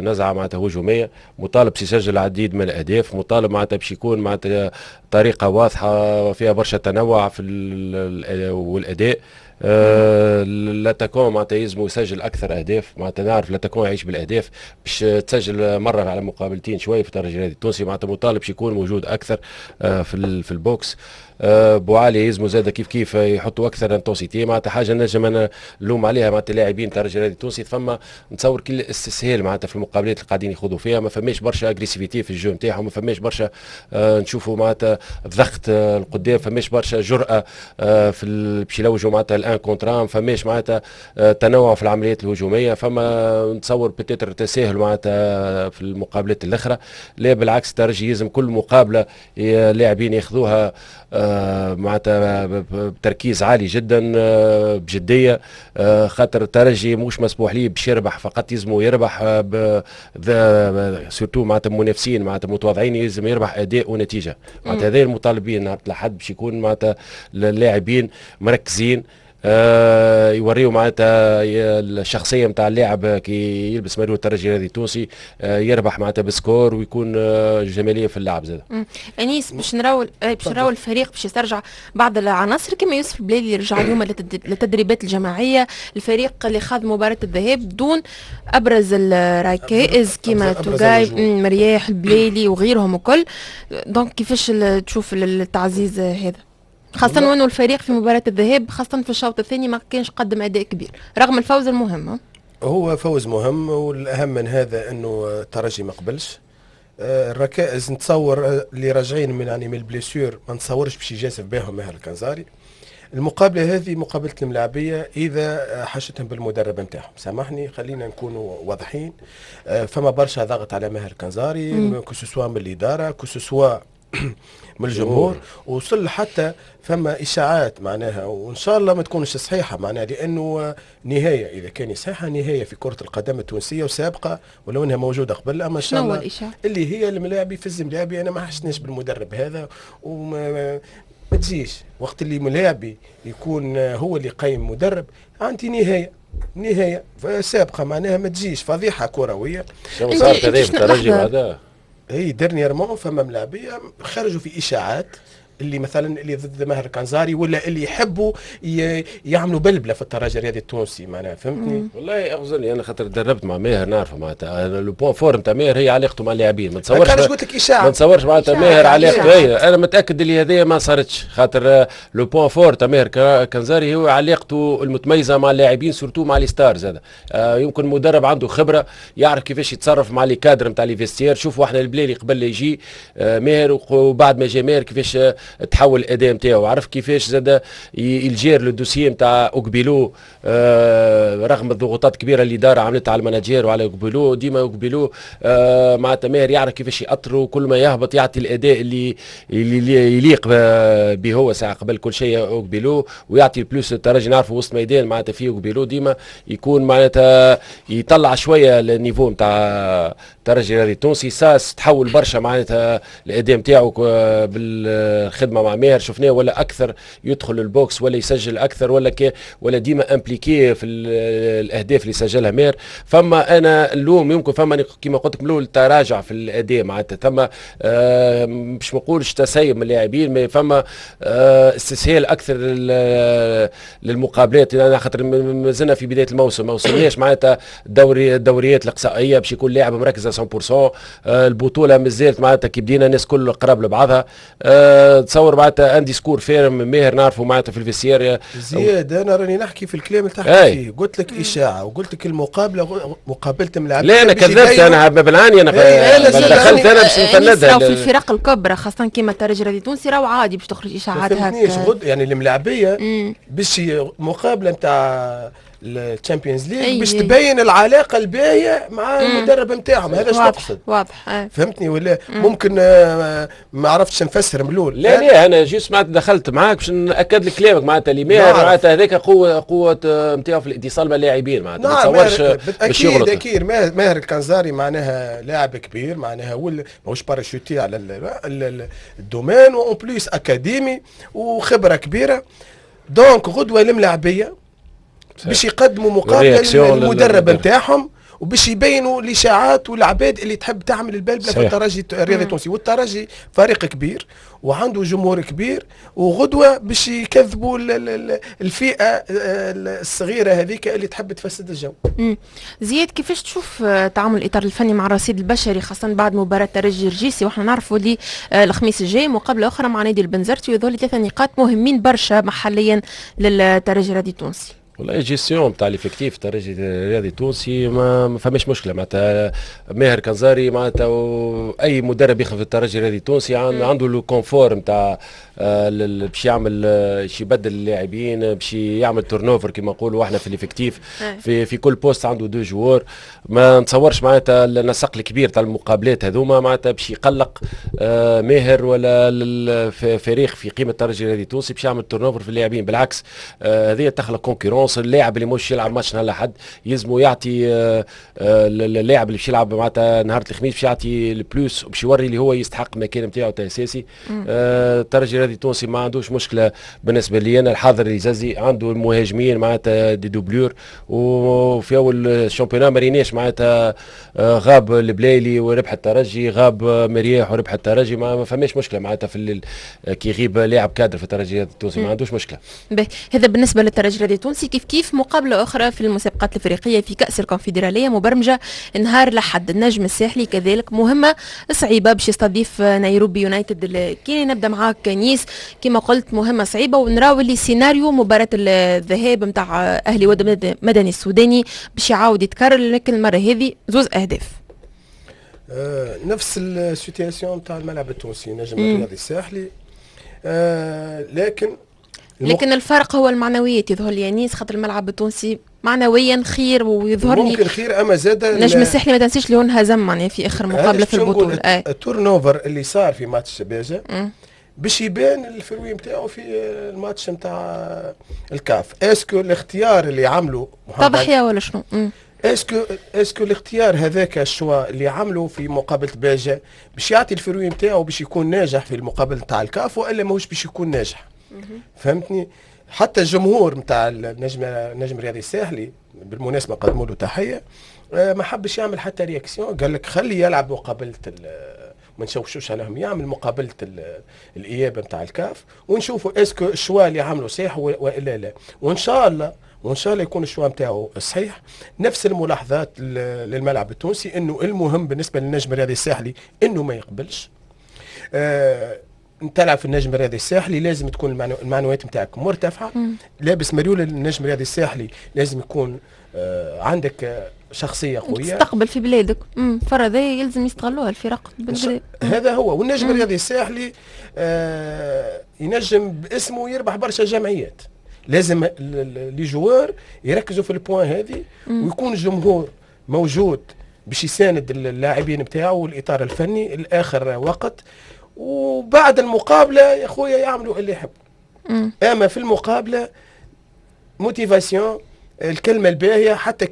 نزعه معناتها هجومية، مطالب باش يسجل العديد من الاهداف، مطالب معناتها باش يكون معناتها طريقه واضحة فيها برشا تنوع في والاداء. l'attaquant معناتها يلزمو يسجل اكثر اهداف، معناتها نعرف l'attaquant يعيش بالاهداف، باش تسجل مرة على مقابلتين شوية في الترجي الرياضي التونسي، معناتها مطالب باش يكون موجود اكثر في ال box. بوعلي يلزمو زاد كيف كيف يحطوا اكثر intensité، معناتها حاجة نجم انا نلوم عليها معناتها اللاعبين الترجي الرياضي التونسي، فما نتصور كل استسهال معناتها في المقابلات اللي قاعدين يخوضوا فيها، ما فماش برشا agressivité في ال jeu نتاعهم، ما فماش برشا نشوفوا معناتها الضغط القدام، فماش برشا جرأه في باش يلوجوا معناتها ال un contre un، فماش معناتها تنوع في العمليات الهجومية، فما نتصور peut-être تساهل معناتها في المقابلات الاخرى. لا بالعكس الترجي يلزم كل مقابله لاعبين ياخذوها معناتها بتركيز عالي جدا بجدية، خاطر الترجي مش مسموح ليه باش يربح فقط، يلزمو يربح surtout معناتها منافسين معناتها متواضعين، يلزم يربح اداء ونتيجة. معناتها هذا المطالبين نهار الاحد باش يكون معناتها اللاعبين مركزين، يوريو معناتها الشخصية نتاع اللاعب كي يلبس مريول الترجي الرياضي التونسي، يربح معناتها ب score ويكون جمالية في اللعب زاد. انيس، باش نراو الفريق باش يسترجع بعض العناصر كما يوسف البلالي اللي رجع اليوم للتدريبات الجماعية، الفريق اللي خاض مباراة الذهاب دون ابرز الركائز كما توغاي، مرياح، البلالي وغيرهم وكل. donc كيفاش تشوف التعزيز هذا؟ خاصة وانه الفريق في مباراة الذهاب خاصة في الشوط الثاني ما كانش قدم أداء كبير رغم الفوز المهم. هو فوز مهم، والأهم من هذا أنه الترجي ما قبلش الركائز. نتصور اللي راجعين من يعني من ال blessures ما نتصورش باش يجازف بهم ماهر الكنزاري. المقابلة هذه مقابلة الملاعبية إذا حاجتهم بالمدرب نتاعهم، سامحني خلينا نكونوا واضحين. فما برشا ضغط على ماهر الكنزاري، que ce soit من الإدارة، que ce soit من الجمهور. وصل حتى فما اشاعات معناها، وان شاء الله ما تكونش صحيحه معناها، لانه نهاية اذا كان صحيحه نهاية في كره القدم التونسية وسابقه، ولو انها موجودة قبل، اما ان شاء الله اللي هي الملاعبي في الزملاعبي انا ما حشناش بالمدرب هذا، وما ما تجيش وقت اللي ملاعبي يكون هو اللي قيم مدرب، عندي نهاية سابقه معناها، ما تجيش فضيحة كروية. شنو صارت هذا في الترجي هذا؟ اي dernièrement فما ملاعبيه خرجوا في اشاعات اللي مثلا اللي ضد ماهر كنزاري، ولا اللي يحبوا يعملوا بلبلة في الترجي الرياضي التونسي معناها، فهمتني؟ والله اغزرني انا خاطر دربت مع ماهر، نعرفه معناتها le point fort نتاع ماهر هي علاقته مع اللاعبين، ما تصورش قلت لك اشاعة، ما تصورش معناتها ماهر علاقته هي، انا متاكد اللي هذه ما صارتش، خاطر le point fort تاع ماهر كنزاري هو علاقته المتميزة مع اللاعبين، surtout مع les stars. هذا يمكن مدرب عنده خبره، يعرف كيفاش يتصرف مع les cadres نتاع les vestiaires. شوفوا احنا البلالي قبل يجي ماهر وبعد ما جا ماهر كيفاش تحول الاداء نتاعو، عرف كيفاش زاد il gère le dossier نتاع اوكبيلو، رغم الضغوطات الكبيرة اللي الادارة عملتها على ال manager وعلى اوكبيلو، ديما اوكبيلو معناتها ماهر يعرف كيفاش يأطرو، كل ما يهبط يعطي الاداء اللي يليق به هو ساعة قبل كل شيء اوكبيلو، ويعطي ال plus الترجي. نعرفوا وسط ميدان معناتها فيه اوكبيلو ديما يكون معناتها يطلع شوية ال niveau نتاع الترجي الرياضي التونسي. ساس تحول برشا معناتها الاداء نتاعو بالخدمة مع ماهر، شفناه ولا اكثر يدخل ال box ولا يسجل اكثر ولا ديما impliqué في الاهداف اللي سجلها ماهر. فما انا اللوم يمكن فما كيما قلت لك من الاول تراجع في الاداء معناتها، ثم باش ما نقولش تسيب من اللاعبين، فما استسهال اكثر للمقابلات، لان خاطر مازلنا في بداية الموسم، ما وصلناش معناتها الدوريات الاقصائية باش يكون لاعب مركز 100%. البطولة مازالت معناتها كي بدينا الناس كل قراب لبعضها. تصور معناتها un discours ferme ماهر نعرفوا معناتها في ال vestiaire. زياد انا راني نحكي في الكلام اللي تحكي فيه، قلت لك اشاعة وقلت لك المقابلة مقابله ملاعب. لا انا كذبت، انا بالعاني انا دخلت انا باش نفندها. في الفرق الكبرى خاصة كيما الترجي الرياضي التونسي راهو عادي باش تخرج اشاعات هكا، يعني الملاعبيه باش مقابله نتاع ال Champions League باش تبين العلاقة الباهيه مع المدرب نتاعهم، هذا اش تقصد؟ واضح. فهمتني ولا؟ ممكن ما عرفتش نفسر من الاول. لا لا انا juste معناتها دخلت معاك باش ناكد لك كلامك معناتها اللي ماهر معناتها هذاك قوة نتاعو في الاتصال مع اللاعبين معناتها، ما تصورش باش يغلط. اكيد ماهر الكنزاري معناها لاعب كبير معناها، هو ماهوش parachuté على ال domaine، و en plus اكاديمي وخبره كبيرة. donc غدوه الملاعبيه باش يقدموا مقابله للمدرب نتاعهم، وباش يبينوا الاشاعات والعباد اللي تحب تعمل البلبلة في الترجي الرياضي التونسي. والترجي فريق كبير وعنده جمهور كبير، وغدوه باش يكذبوا الفئة الصغيرة هذيك اللي تحب تفسد الجو. زياد، كيفاش تشوف تعامل الاطار الفني مع الرصيد البشري خاصة بعد مباراة ترجي الجرجيسي، واحنا نعرفوا اللي الخميس الجاي مقابله اخرى مع نادي البنزرتي، ويظل 3 نقاط مهمين برشا محليا للترجي الرياضي التونسي. والله gestion تاع l'effectif الترجي الرياضي التونسي ما فماش مشكلة معناتها. ماهر كنزاري معناتها اي مدرب يخدم في الترجي الرياضي التونسي عنده le confort نتاع باش يعمل، باش يبدل اللاعبين، باش يعمل turnover كما نقولوا احنا في l'effectif، في كل poste عنده deux joueurs. ما نتصورش معناتها النسق الكبير تاع المقابلات هذوما معناتها باش يقلق ماهر ولا فريق في قيمة الترجي الرياضي التونسي باش يعمل turnover في اللاعبين. بالعكس، هذه تخلق concurrence. اللاعب اللي مش يلعب ماتش نهار الاحد يلزمو يعطي اللاعب اللي باش يلعب معناتها نهار الخميس باش يعطي ال plus، باش يوري اللي هو يستحق المكان نتاعو اساسي. الترجي الرياضي التونسي ما عندوش مشكلة بالنسبة لي انا، الحاضر يزازي عنده المهاجمين معناتها des doublures، وفي اول championnat ما ريناش معناتها غاب البلايلي وربح الترجي، غاب مرياح وربح الترجي، ما فماش مشكلة معناتها في كي يغيب لاعب كادر في الترجي التونسي ما عندوش مشكلة. هذا بالنسبة للترجي الرياضي التونسي. كيف كيف مقابله اخرى في المسابقات الافريقية في كاس الكونفدراليه مبرمجه نهار الاحد، النجم الساحلي كذلك مهمة صعيبة باش يستضيف نيروبي يونايتد الكيني. نبدا معاك نيس، كما قلت مهمة صعيبة، ونراو اللي سيناريو مباراة الذهاب نتاع اهلي واد مدني السوداني باش يعاود يتكرر، لكن المرة هذه زوز اهداف. نفس ال situation تاع الملعب التونسي نجم الرياضي الساحلي، لكن الفرق هو المعنويات يظهر لي انيس، خاطر الملعب التونسي معنويا خير ويظهر لي ممكن خير، اما زاد نجم الساحلي ما تنسيش اللي هو انهزم معناها في اخر مقابله في البطوله. ال turnover اللي صار في ماتش باجة باش يبان ال fruit نتاعو في الماتش نتاع الكاف. est-ce que الاختيار اللي عمله تضحية ولا شنو؟ est-ce que الاختيار هذاك، ال choix اللي عمله في مقابله باجة، باش يعطي ال fruit نتاعو باش يكون ناجح في المقابلة نتاع الكاف والا ماهوش باش يكون ناجح؟ فهمتني؟ حتى الجمهور نتاع النجم الرياضي الساحلي، بالمناسبة قدموا له تحيه، ما حبش يعمل حتى réaction. قال لك خلي يلعب مقابله، ما نشوشوش عليهم، يعمل مقابله الاياب نتاع الكاف ونشوفوا est-ce que ال choix اللي عملوا صحيح والا لا. وان شاء الله يكون ال choix نتاعو صحيح. نفس الملاحظات للملعب التونسي، انه المهم بالنسبة للنجم الرياضي الساحلي انه ما يقبلش. تلعب في النجم الرياضي الساحلي لازم تكون المعنويات نتاعك مرتفعه. لابس مريول النجم الرياضي الساحلي لازم يكون عندك شخصية قويه. تستقبل في بلادك، فرصة يلزم يستغلوها الفرق بالبلاد. هذا هو. والنجم الرياضي الساحلي ينجم باسمه يربح برشا جمعيات. لازم les joueurs يركزوا في ال point هذه، ويكون الجمهور موجود باش يساند اللاعبين بتاعه والاطار الفني الاخر وقت. وبعد المقابلة يا خويا يعملوا اللي يحبوا، اما في المقابلة motivation، الكلمة الباهيه، حتى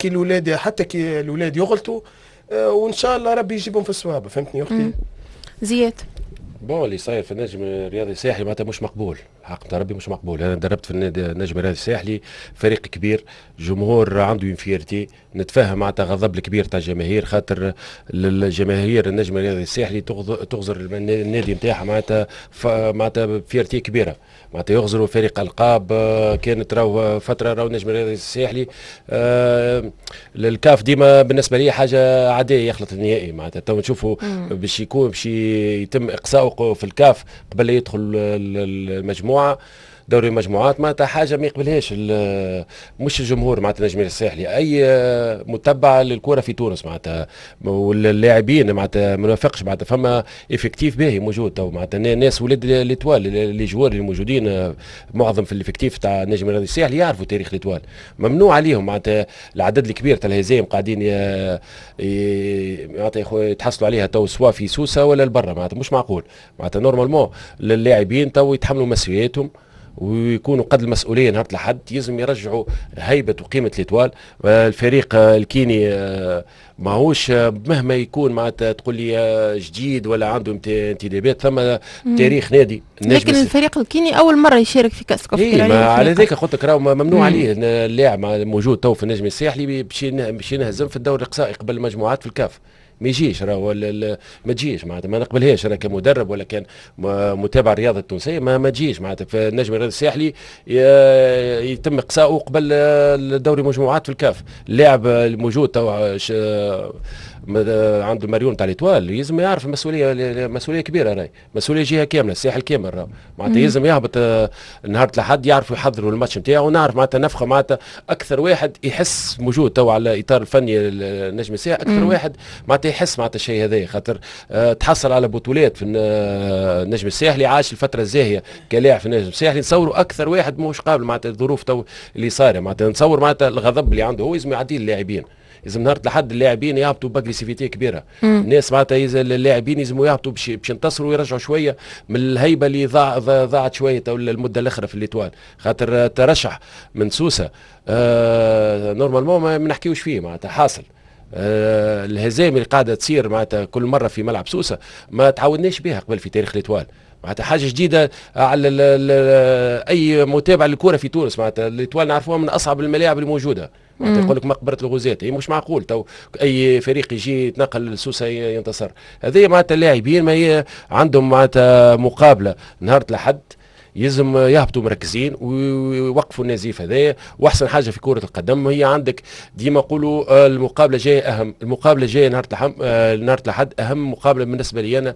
كي الاولاد يغلطوا، وان شاء الله ربي يجيبهم في الصواب. فهمتني يا اختي؟ زياد. bon، اللي صاير في النجم الرياضي الساحلي معناتها مش مقبول، الحق نتاع ربي مش مقبول. انا دربت في النادي النجم الرياضي الساحلي، فريق كبير، جمهور عنده une fierté. نتفهم معناتها غضب الكبير تاع الجماهير، خاطر الجماهير النجم الرياضي الساحلي تغزر النادي نتاعها معناتها fierté كبيره، معناتها يغزروا فريق القاب. كانت راهو فترة راهو النجم الرياضي الساحلي الكاف ديما بالنسبة لي حاجة عادية يخلط النهائي. معناتها تو نشوفوا باش يكون باش يتم اقصائه في الكاف قبل لا يدخل المجموعه، دوري المجموعات، معناتها حاجة ما يقبلهاش مش الجمهور معناتها النجم الساحلي، اي متبع للكرة في تونس معناتها. واللاعبين معناتها ما نوافقش، معناتها فما effectif باهي موجود تو، معناتها ناس ولاد l'Étoile. les joueurs اللي موجودين معظم في ال effectif تاع النجم الرياضي الساحلي يعرفوا تاريخ l'Étoile. ممنوع عليهم معناتها العدد الكبير تاع الهزايم قاعدين معناتها يتحصلوا عليها تو، سواء في سوسة ولا البرة. معناتها مش معقول. معناتها normalement اللاعبين تو يتحملوا مسؤولياتهم ويكونوا قد المسؤولية نهار الاحد. يلزم يرجعوا هيبة وقيمه l'Étoile. الفريق الكيني ماهوش مهما يكون معناتها تقول لي جديد ولا عنده انتدابات، ثم تاريخ نادي. لكن الفريق الكيني اول مرة يشارك في كاس كونفدراليه. إيه، على ذلك قلت لك راهو ممنوع عليه اللاعب موجود تو في النجم الساحلي باش ينهزم في الدور الاقصائي قبل المجموعات في الكاف. ما يجيش راهو، ما تجيش معناتها، ما نقبلهاش انا كمدرب ولا كان متابع الرياضة التونسيه. ما تجيش معناتها في النجم الرياضي الساحلي يتم اقصائه قبل الدوري مجموعات في الكاف. اللاعب الموجود تو عنده مريول تاع l'Étoile لازم يعرف المسؤوليه، مسؤولية كبيره، راهي مسؤولية جهة كامله، الساحل كامل راهو. معناتها يلزم يهبط نهار الاحد، يعرفوا يحضروا الماتش نتاعو. ونعرف معناتها نفخه، معناتها اكثر واحد يحس موجود تو على الاطار الفني النجم الساحل، اكثر واحد معناتها يحس معناتها الشيء هذا، خاطر تحصل على بطولات في النجم الساحلي، عاش الفترة الزاهيه كلاعب في النجم الساحلي. نتصوروا اكثر واحد مش قابل معناتها الظروف تو اللي صايره. معناتها نتصور معناتها الغضب اللي عنده هو لازم يعديه اللاعبين. لازم نهار الاحد اللاعبين يهبطوا ب agressivité كبيره. الناس معناتها اللاعبين يلزموا يهبطوا باش ينتصروا ويرجعوا شوية من الهيبة اللي ضاعت شوية المدة الاخرى في l'Étoile، خاطر ترشح من سوسة normalement ما نحكيوش فيه. معناتها حاصل الهزائم اللي قاعدة تصير معناتها كل مرة في ملعب سوسة ما تعودناش بها قبل في تاريخ l'Étoile. معناتها حاجة جديدة على ال اي متابع للكرة في تونس. معناتها l'Étoile نعرفوها من اصعب الملاعب الموجوده، معناتها يقول لك مقبره الغزاة. هي مش معقول تو اي فريق يجي يتنقل لسوسه ينتصر. هذه معناتها اللاعبين ما هي عندهم معناتها مقابله نهار الاحد، يلزم يهبطوا مركزين ويوقفوا النزيف هذايا. واحسن حاجة في كره القدم هي عندك ديما نقولوا المقابلة جاية اهم. المقابلة جاية نهار الاحد اهم مقابله بالنسبة لي انا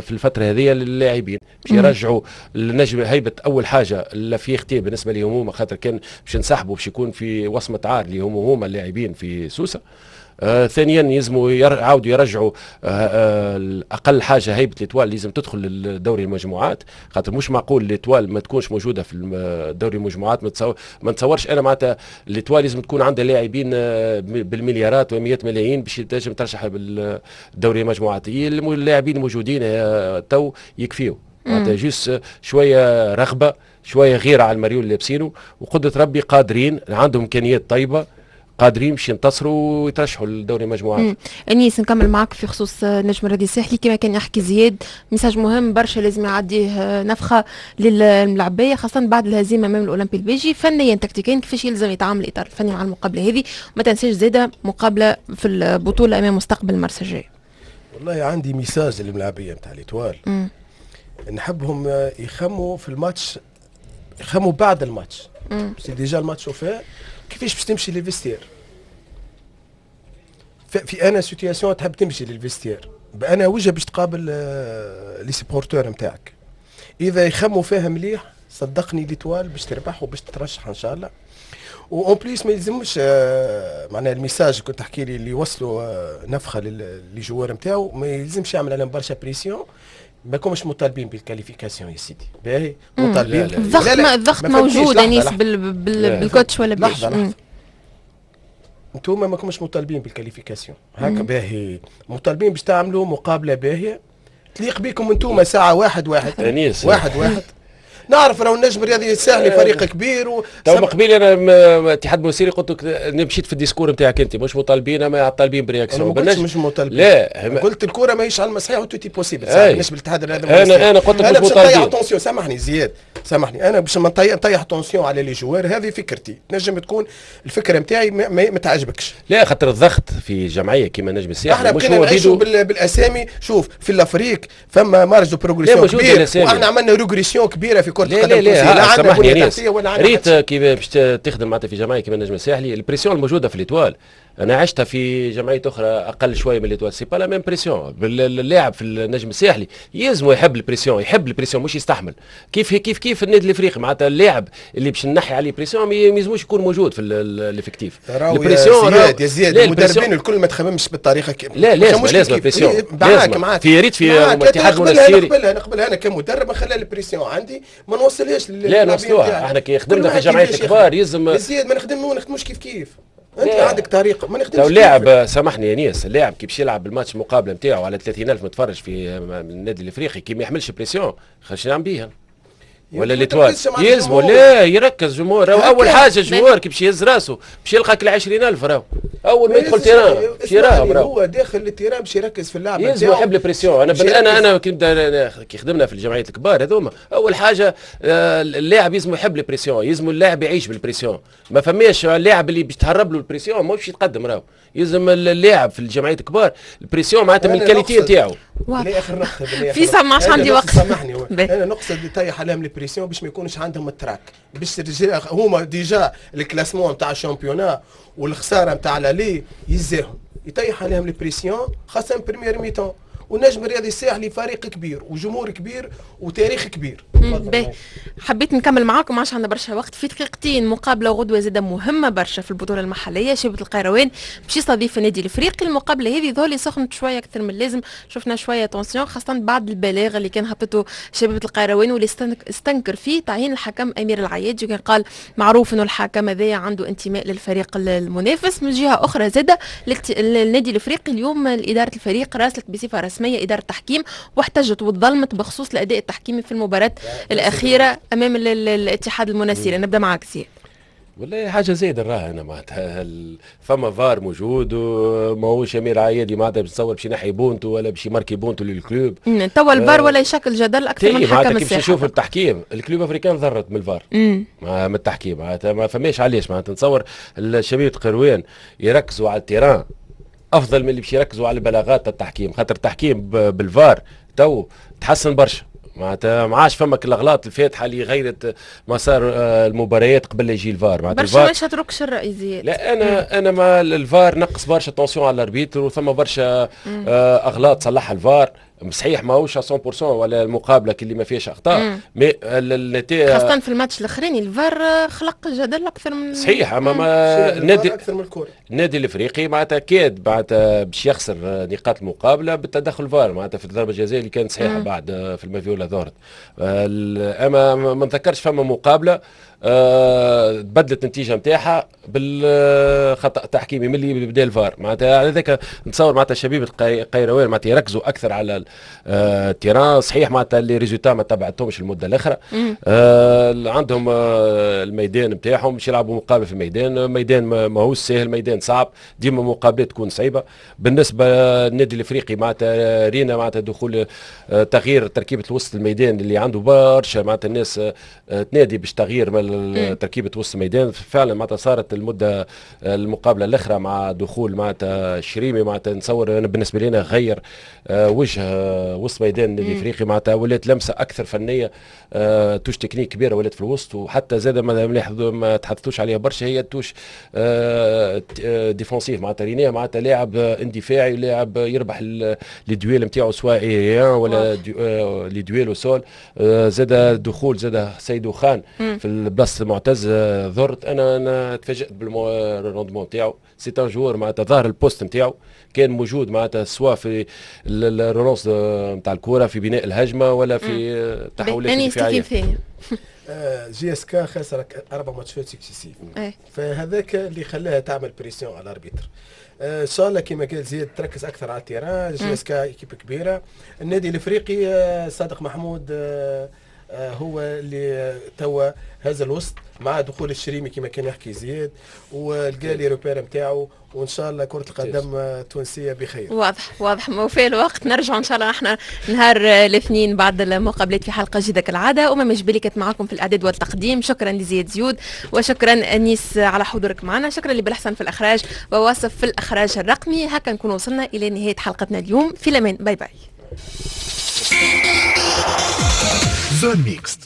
في الفترة هذه للاعبين، باش يرجعوا النجم هيبه. اول حاجة la fierté بالنسبة لهم هما، خاطر كان باش نسحبوا باش يكون في وصمة عار اللي هم هما اللاعبين في سوسه. ثانيا يلزموا يعاودوا يرجعوا اقل حاجة هيبة l'Étoile لازم تدخل لدوري المجموعات، خاطر مش معقول l'Étoile ما تكونش موجودة في دوري المجموعات. ما نتصورش انا معناتها l'Étoile لازم تكون عندها لاعبين بالمليارات ومئات ملايين باش تنجم ترشح بالدوري المجموعات. اللاعبين الموجودين تو يكفيوا، معناتها juste شوية رغبه، شوية غيره على المريول اللي لابسينه، وقدره ربي قادرين، عندهم امكانيات طيبه، قادرين باش ينتصروا ويترشحوا لدوري المجموعات. انيس، نكمل معك في خصوص نجم الرياضي الساحلي. كما كان يحكي زياد، message مهم برشا لازم يعديه نفخه للملعبيه، خاصة بعد الهزيمة امام الاولمبي الباجي. فنيا تكتيكيا كيفاش يلزم يتعامل الاطار الفني مع المقابلة هذه؟ ما تنساش زاده مقابله في البطولة امام مستقبل المرسى الجاي. والله عندي message للملاعبيه نتاع l'Étoile، نحبهم يخموا في الماتش، يخموا بعد الماتش. c'est déjà الماتش وفاء، كيفاش باش تمشي لل vestiaire؟ في انا situation تحب تمشي لل vestiaire، بانا وجه باش تقابل les supporters نتاعك؟ اذا يخموا فيها مليح، صدقني l'Étoile باش تربح وباش تترشح ان شاء الله. و en plus ما يلزمش معناها ال message كنت تحكي لي اللي وصلوا نفخه les joueurs نتاعو، ما يلزمش يعمل عليهم برشا pression. ما كومش مطالبين بال qualification يا سيدي، باهي؟ مطالبين الضغط، الضغط موجود انيس بال coach ولا بلاش. لحظة لحظه، انتم ما كومش مطالبين بال qualification هكا، باهي؟ مطالبين باش تعملوا مقابله باهيه تليق بكم انتم. ساعة 1-1 انيس. 1-1. نعرف راهو النجم الرياضي الساحلي فريق كبير تو قبيل انا اتحاد مسيري قلت لك مشيت في ال discours نتاعك، انت مش مطالبين، ما طالبين ب réaction. ما مش مطالبين. لا. قلت الكره ماهيش على المسيح و tout est possible بالنسبة للاتحاد الرياضي. انا قلت لك مش مطالبين. attention، سامحني زياد، سامحني، انا باش نطيح tension على les joueurs، هذه فكرتي، تنجم تكون الفكرة نتاعي ما تعجبكش. لا، خاطر الضغط في جمعية كيما نجم الساحل احنا بقينا نعيشوا بالاسامي. شوف، في l'Afrique فما marge de progression كبير، واحنا عملنا régression كبيرة في كره القدم. لا لا لا، سامحني يا ريت كيف باش تخدم معناتها في جمعية كيما النجم الساحلي، ال pression الموجودة في l'Étoile انا عشتها في جمعية اخرى اقل شوية من l'Étoile، c'est pas la même pression. اللاعب في النجم الساحلي يلزم يحب ال pression، يحب ال pression مش يستحمل. كيف كيف كيف النادي الافريقي، معناتها اللاعب اللي باش نحي عليه pression ما يلزموش يكون موجود في l'effectif. ال pression يا زياد، يا زياد، المدربين الكل ما تخممش بالطريقة لا، لازم لازم pression. معاك معاك. في ريت في اتحاد المنستيري. نقبلها نقبلها، انا كمدرب نخلي ال pression عندي، ما نوصلهاش. لا، نوصلوها احنا كي خدمنا في جمعية الكبار يلزم. زياد، ما نخدموش كيف كيف، انت عندك طريقه، ما نخدمش. لو اللاعب، سامحني يا نيس، اللاعب كي باش يلعب الماتش المقابلة نتاعو على 30,000 متفرج في النادي الافريقي، كي ما يحملش pression خش نعم بيها ولا l'Étoile يلزموا لا يركز جمهور. اول حاجة joueur كي باش يهز راسه باش يلقى كل 20,000، راهو اول ما يدخل terrain باش يراهم. راهو هو داخل ال terrain باش يركز في اللعب. يلزم يحب ال pression. انا كي خدمنا في الجمعيات الكبار هذوما، اول حاجة اللاعب يلزم يحب ال pression، يلزم اللاعب يعيش بال pression. ما فماش اللاعب اللي باش تهرب له ال pression ماهوش باش يتقدم. راهو يلزم اللاعب في الجمعيات الكبار ال pression معناتها من ال qualité نتاعو. اخر نقطه. في ما عادش عندي وقت. سامحني، انا نقصد يطيح عليهم ال pression باش ما يكونش عندهم ال trac، باش هما déjà ال classement نتاع ال championnat والخسارة نتاع l'aller يزاهم، يطيح عليهم ال pression خاصة première mi-temps. والنجم الرياضي الساحلي فريق كبير وجمهور كبير وتاريخ كبير. باهي، حبيت نكمل معاكم، عشان عندنا برشا وقت. في دقيقتين، مقابله غدوه زاده مهمة برشا في البطولة المحليه، شبيبة القيروان باش يستضيف النادي الافريقي. المقابلة هذه ظهر سخنت شوية اكثر من اللازم، شفنا شوية tension خاصة بعد البلاغ اللي كان هبطته شبيبة القيروان واللي استنكر فيه تعيين الحكم امير العيادي، وكان قال معروف انه الحكم هذايا عنده انتماء للفريق المنافس. من جهة اخرى زاده النادي الافريقي اليوم ادارة الفريق راسلت بصفة رسمية ادارة التحكيم واحتجت وتظلمت بخصوص الاداء التحكيمي في المباراة الاخيرة امام الاتحاد المنستيري. نبدا معك زياد. والله حاجة زايدة نراها انا، معناتها فما فار موجود وماهوش امير عيادي معناتها باش تصور باش ينحي بونتو ولا باش يماركي بونتو لل club. توا الفار ولا يشكل جدل اكثر من حكم الساحه. كيف نشوف التحكيم، ال Club Africain ضرت من الفار، من التحكيم، معناتها ما فماش علاش. معناتها نتصور الشبيبة القروان يركزوا على ال terrain افضل من اللي باش يركزوا على البلاغات التحكيم، خاطر التحكيم بالفار تو تحسن برشا، معناتها ما عادش فما الاغلاط الفادحه اللي غيرت مسار المباريات قبل يجي الفار. معناتها برشا ما شاطركش الراي زياد. لا، انا ما الفار نقص برشا tension على l'arbitre، وثم برشا اغلاط صلحها الفار. صحيح ماهوش 100% ولا المقابلة اللي ما فيهاش اخطاء، mais النتيجة خاصة في الماتش الاخراني الفار خلق جدل اكثر من صحيح، اما ما النادي اكثر من الكورة. النادي الافريقي معناتها كاد معناتها باش يخسر نقاط المقابلة بالتدخل فار، معناتها في الضربة الجزائيه اللي كانت صحيحه بعد في المافيولا ظهرت. اما ما نذكرش فما مقابله تبدلت النتيجة نتاعها بالخطا التحكيمي من اللي بدا الفار. معناتها على ذاك نتصور معناتها شبيبة قيروان معناتها يركزوا اكثر على ال terrain. صحيح معناتها les résultats ما تبعتهمش المدة الاخرى، عندهم الميدان نتاعهم باش يلعبوا مقابله في الميدان، ميدان ماهوش ساهل، ميدان صعب، ديما مقابلات تكون صعيبة. بالنسبة للنادي الافريقي معناتها رينا معناتها دخول تغيير تركيبه وسط الميدان اللي عنده برشا معناتها الناس تنادي باش تغيير تركيبه وسط الميدان. فعلا معناتها صارت المدة المقابلة الاخرى مع دخول معناتها الشريمي، معناتها نتصور انا بالنسبة لنا غير وجه وسط ميدان النادي الافريقي، معناتها ولات لمسه اكثر فنيه، touche technique كبيرة ولات في الوسط. وحتى زاد ما تحدثوش عليها برشا هي touche défensive، معناتها رينيه معناتها لاعب اندفاعي، لاعب يربح les duels نتاعو سواء aériens ولا les duels au sol. زاد دخول زاد سيدو خان في البلاصة معتز ظهرت انا تفاجات بال rendement نتاعو. c'est un joueur معناتها ظهر ال poste نتاعو كان موجود معناتها سواء في ال relance نتاع الكره، في بناء الهجمه، ولا في التحولات الدفاعيه. JSK خسر اربع ماتشات successifs، فهذاك اللي خلاها تعمل pression على l'arbitre. ان شاء الله كما قال زياد تركز اكثر على ال terrain. JSK équipe كبيره. النادي الافريقي صادق محمود هو اللي توا هذا الوسط مع دخول الشريمي كما كان يحكي زياد، ولقى les repères نتاعو، وان شاء الله كره القدم التونسية بخير. واضح واضح، وفي الوقت نرجع ان شاء الله احنا نهار الاثنين بعد المقابلات في حلقة جديدة كالعاده. امم جبالي كانت معكم في الاعداد والتقديم. شكرا لزياد زيود وشكرا انيس على حضورك معنا، شكرا لبالحسن في الاخراج وواصف في الاخراج الرقمي. هكا نكون وصلنا الى نهاية حلقتنا اليوم، في الامان، bye bye. zone mixte.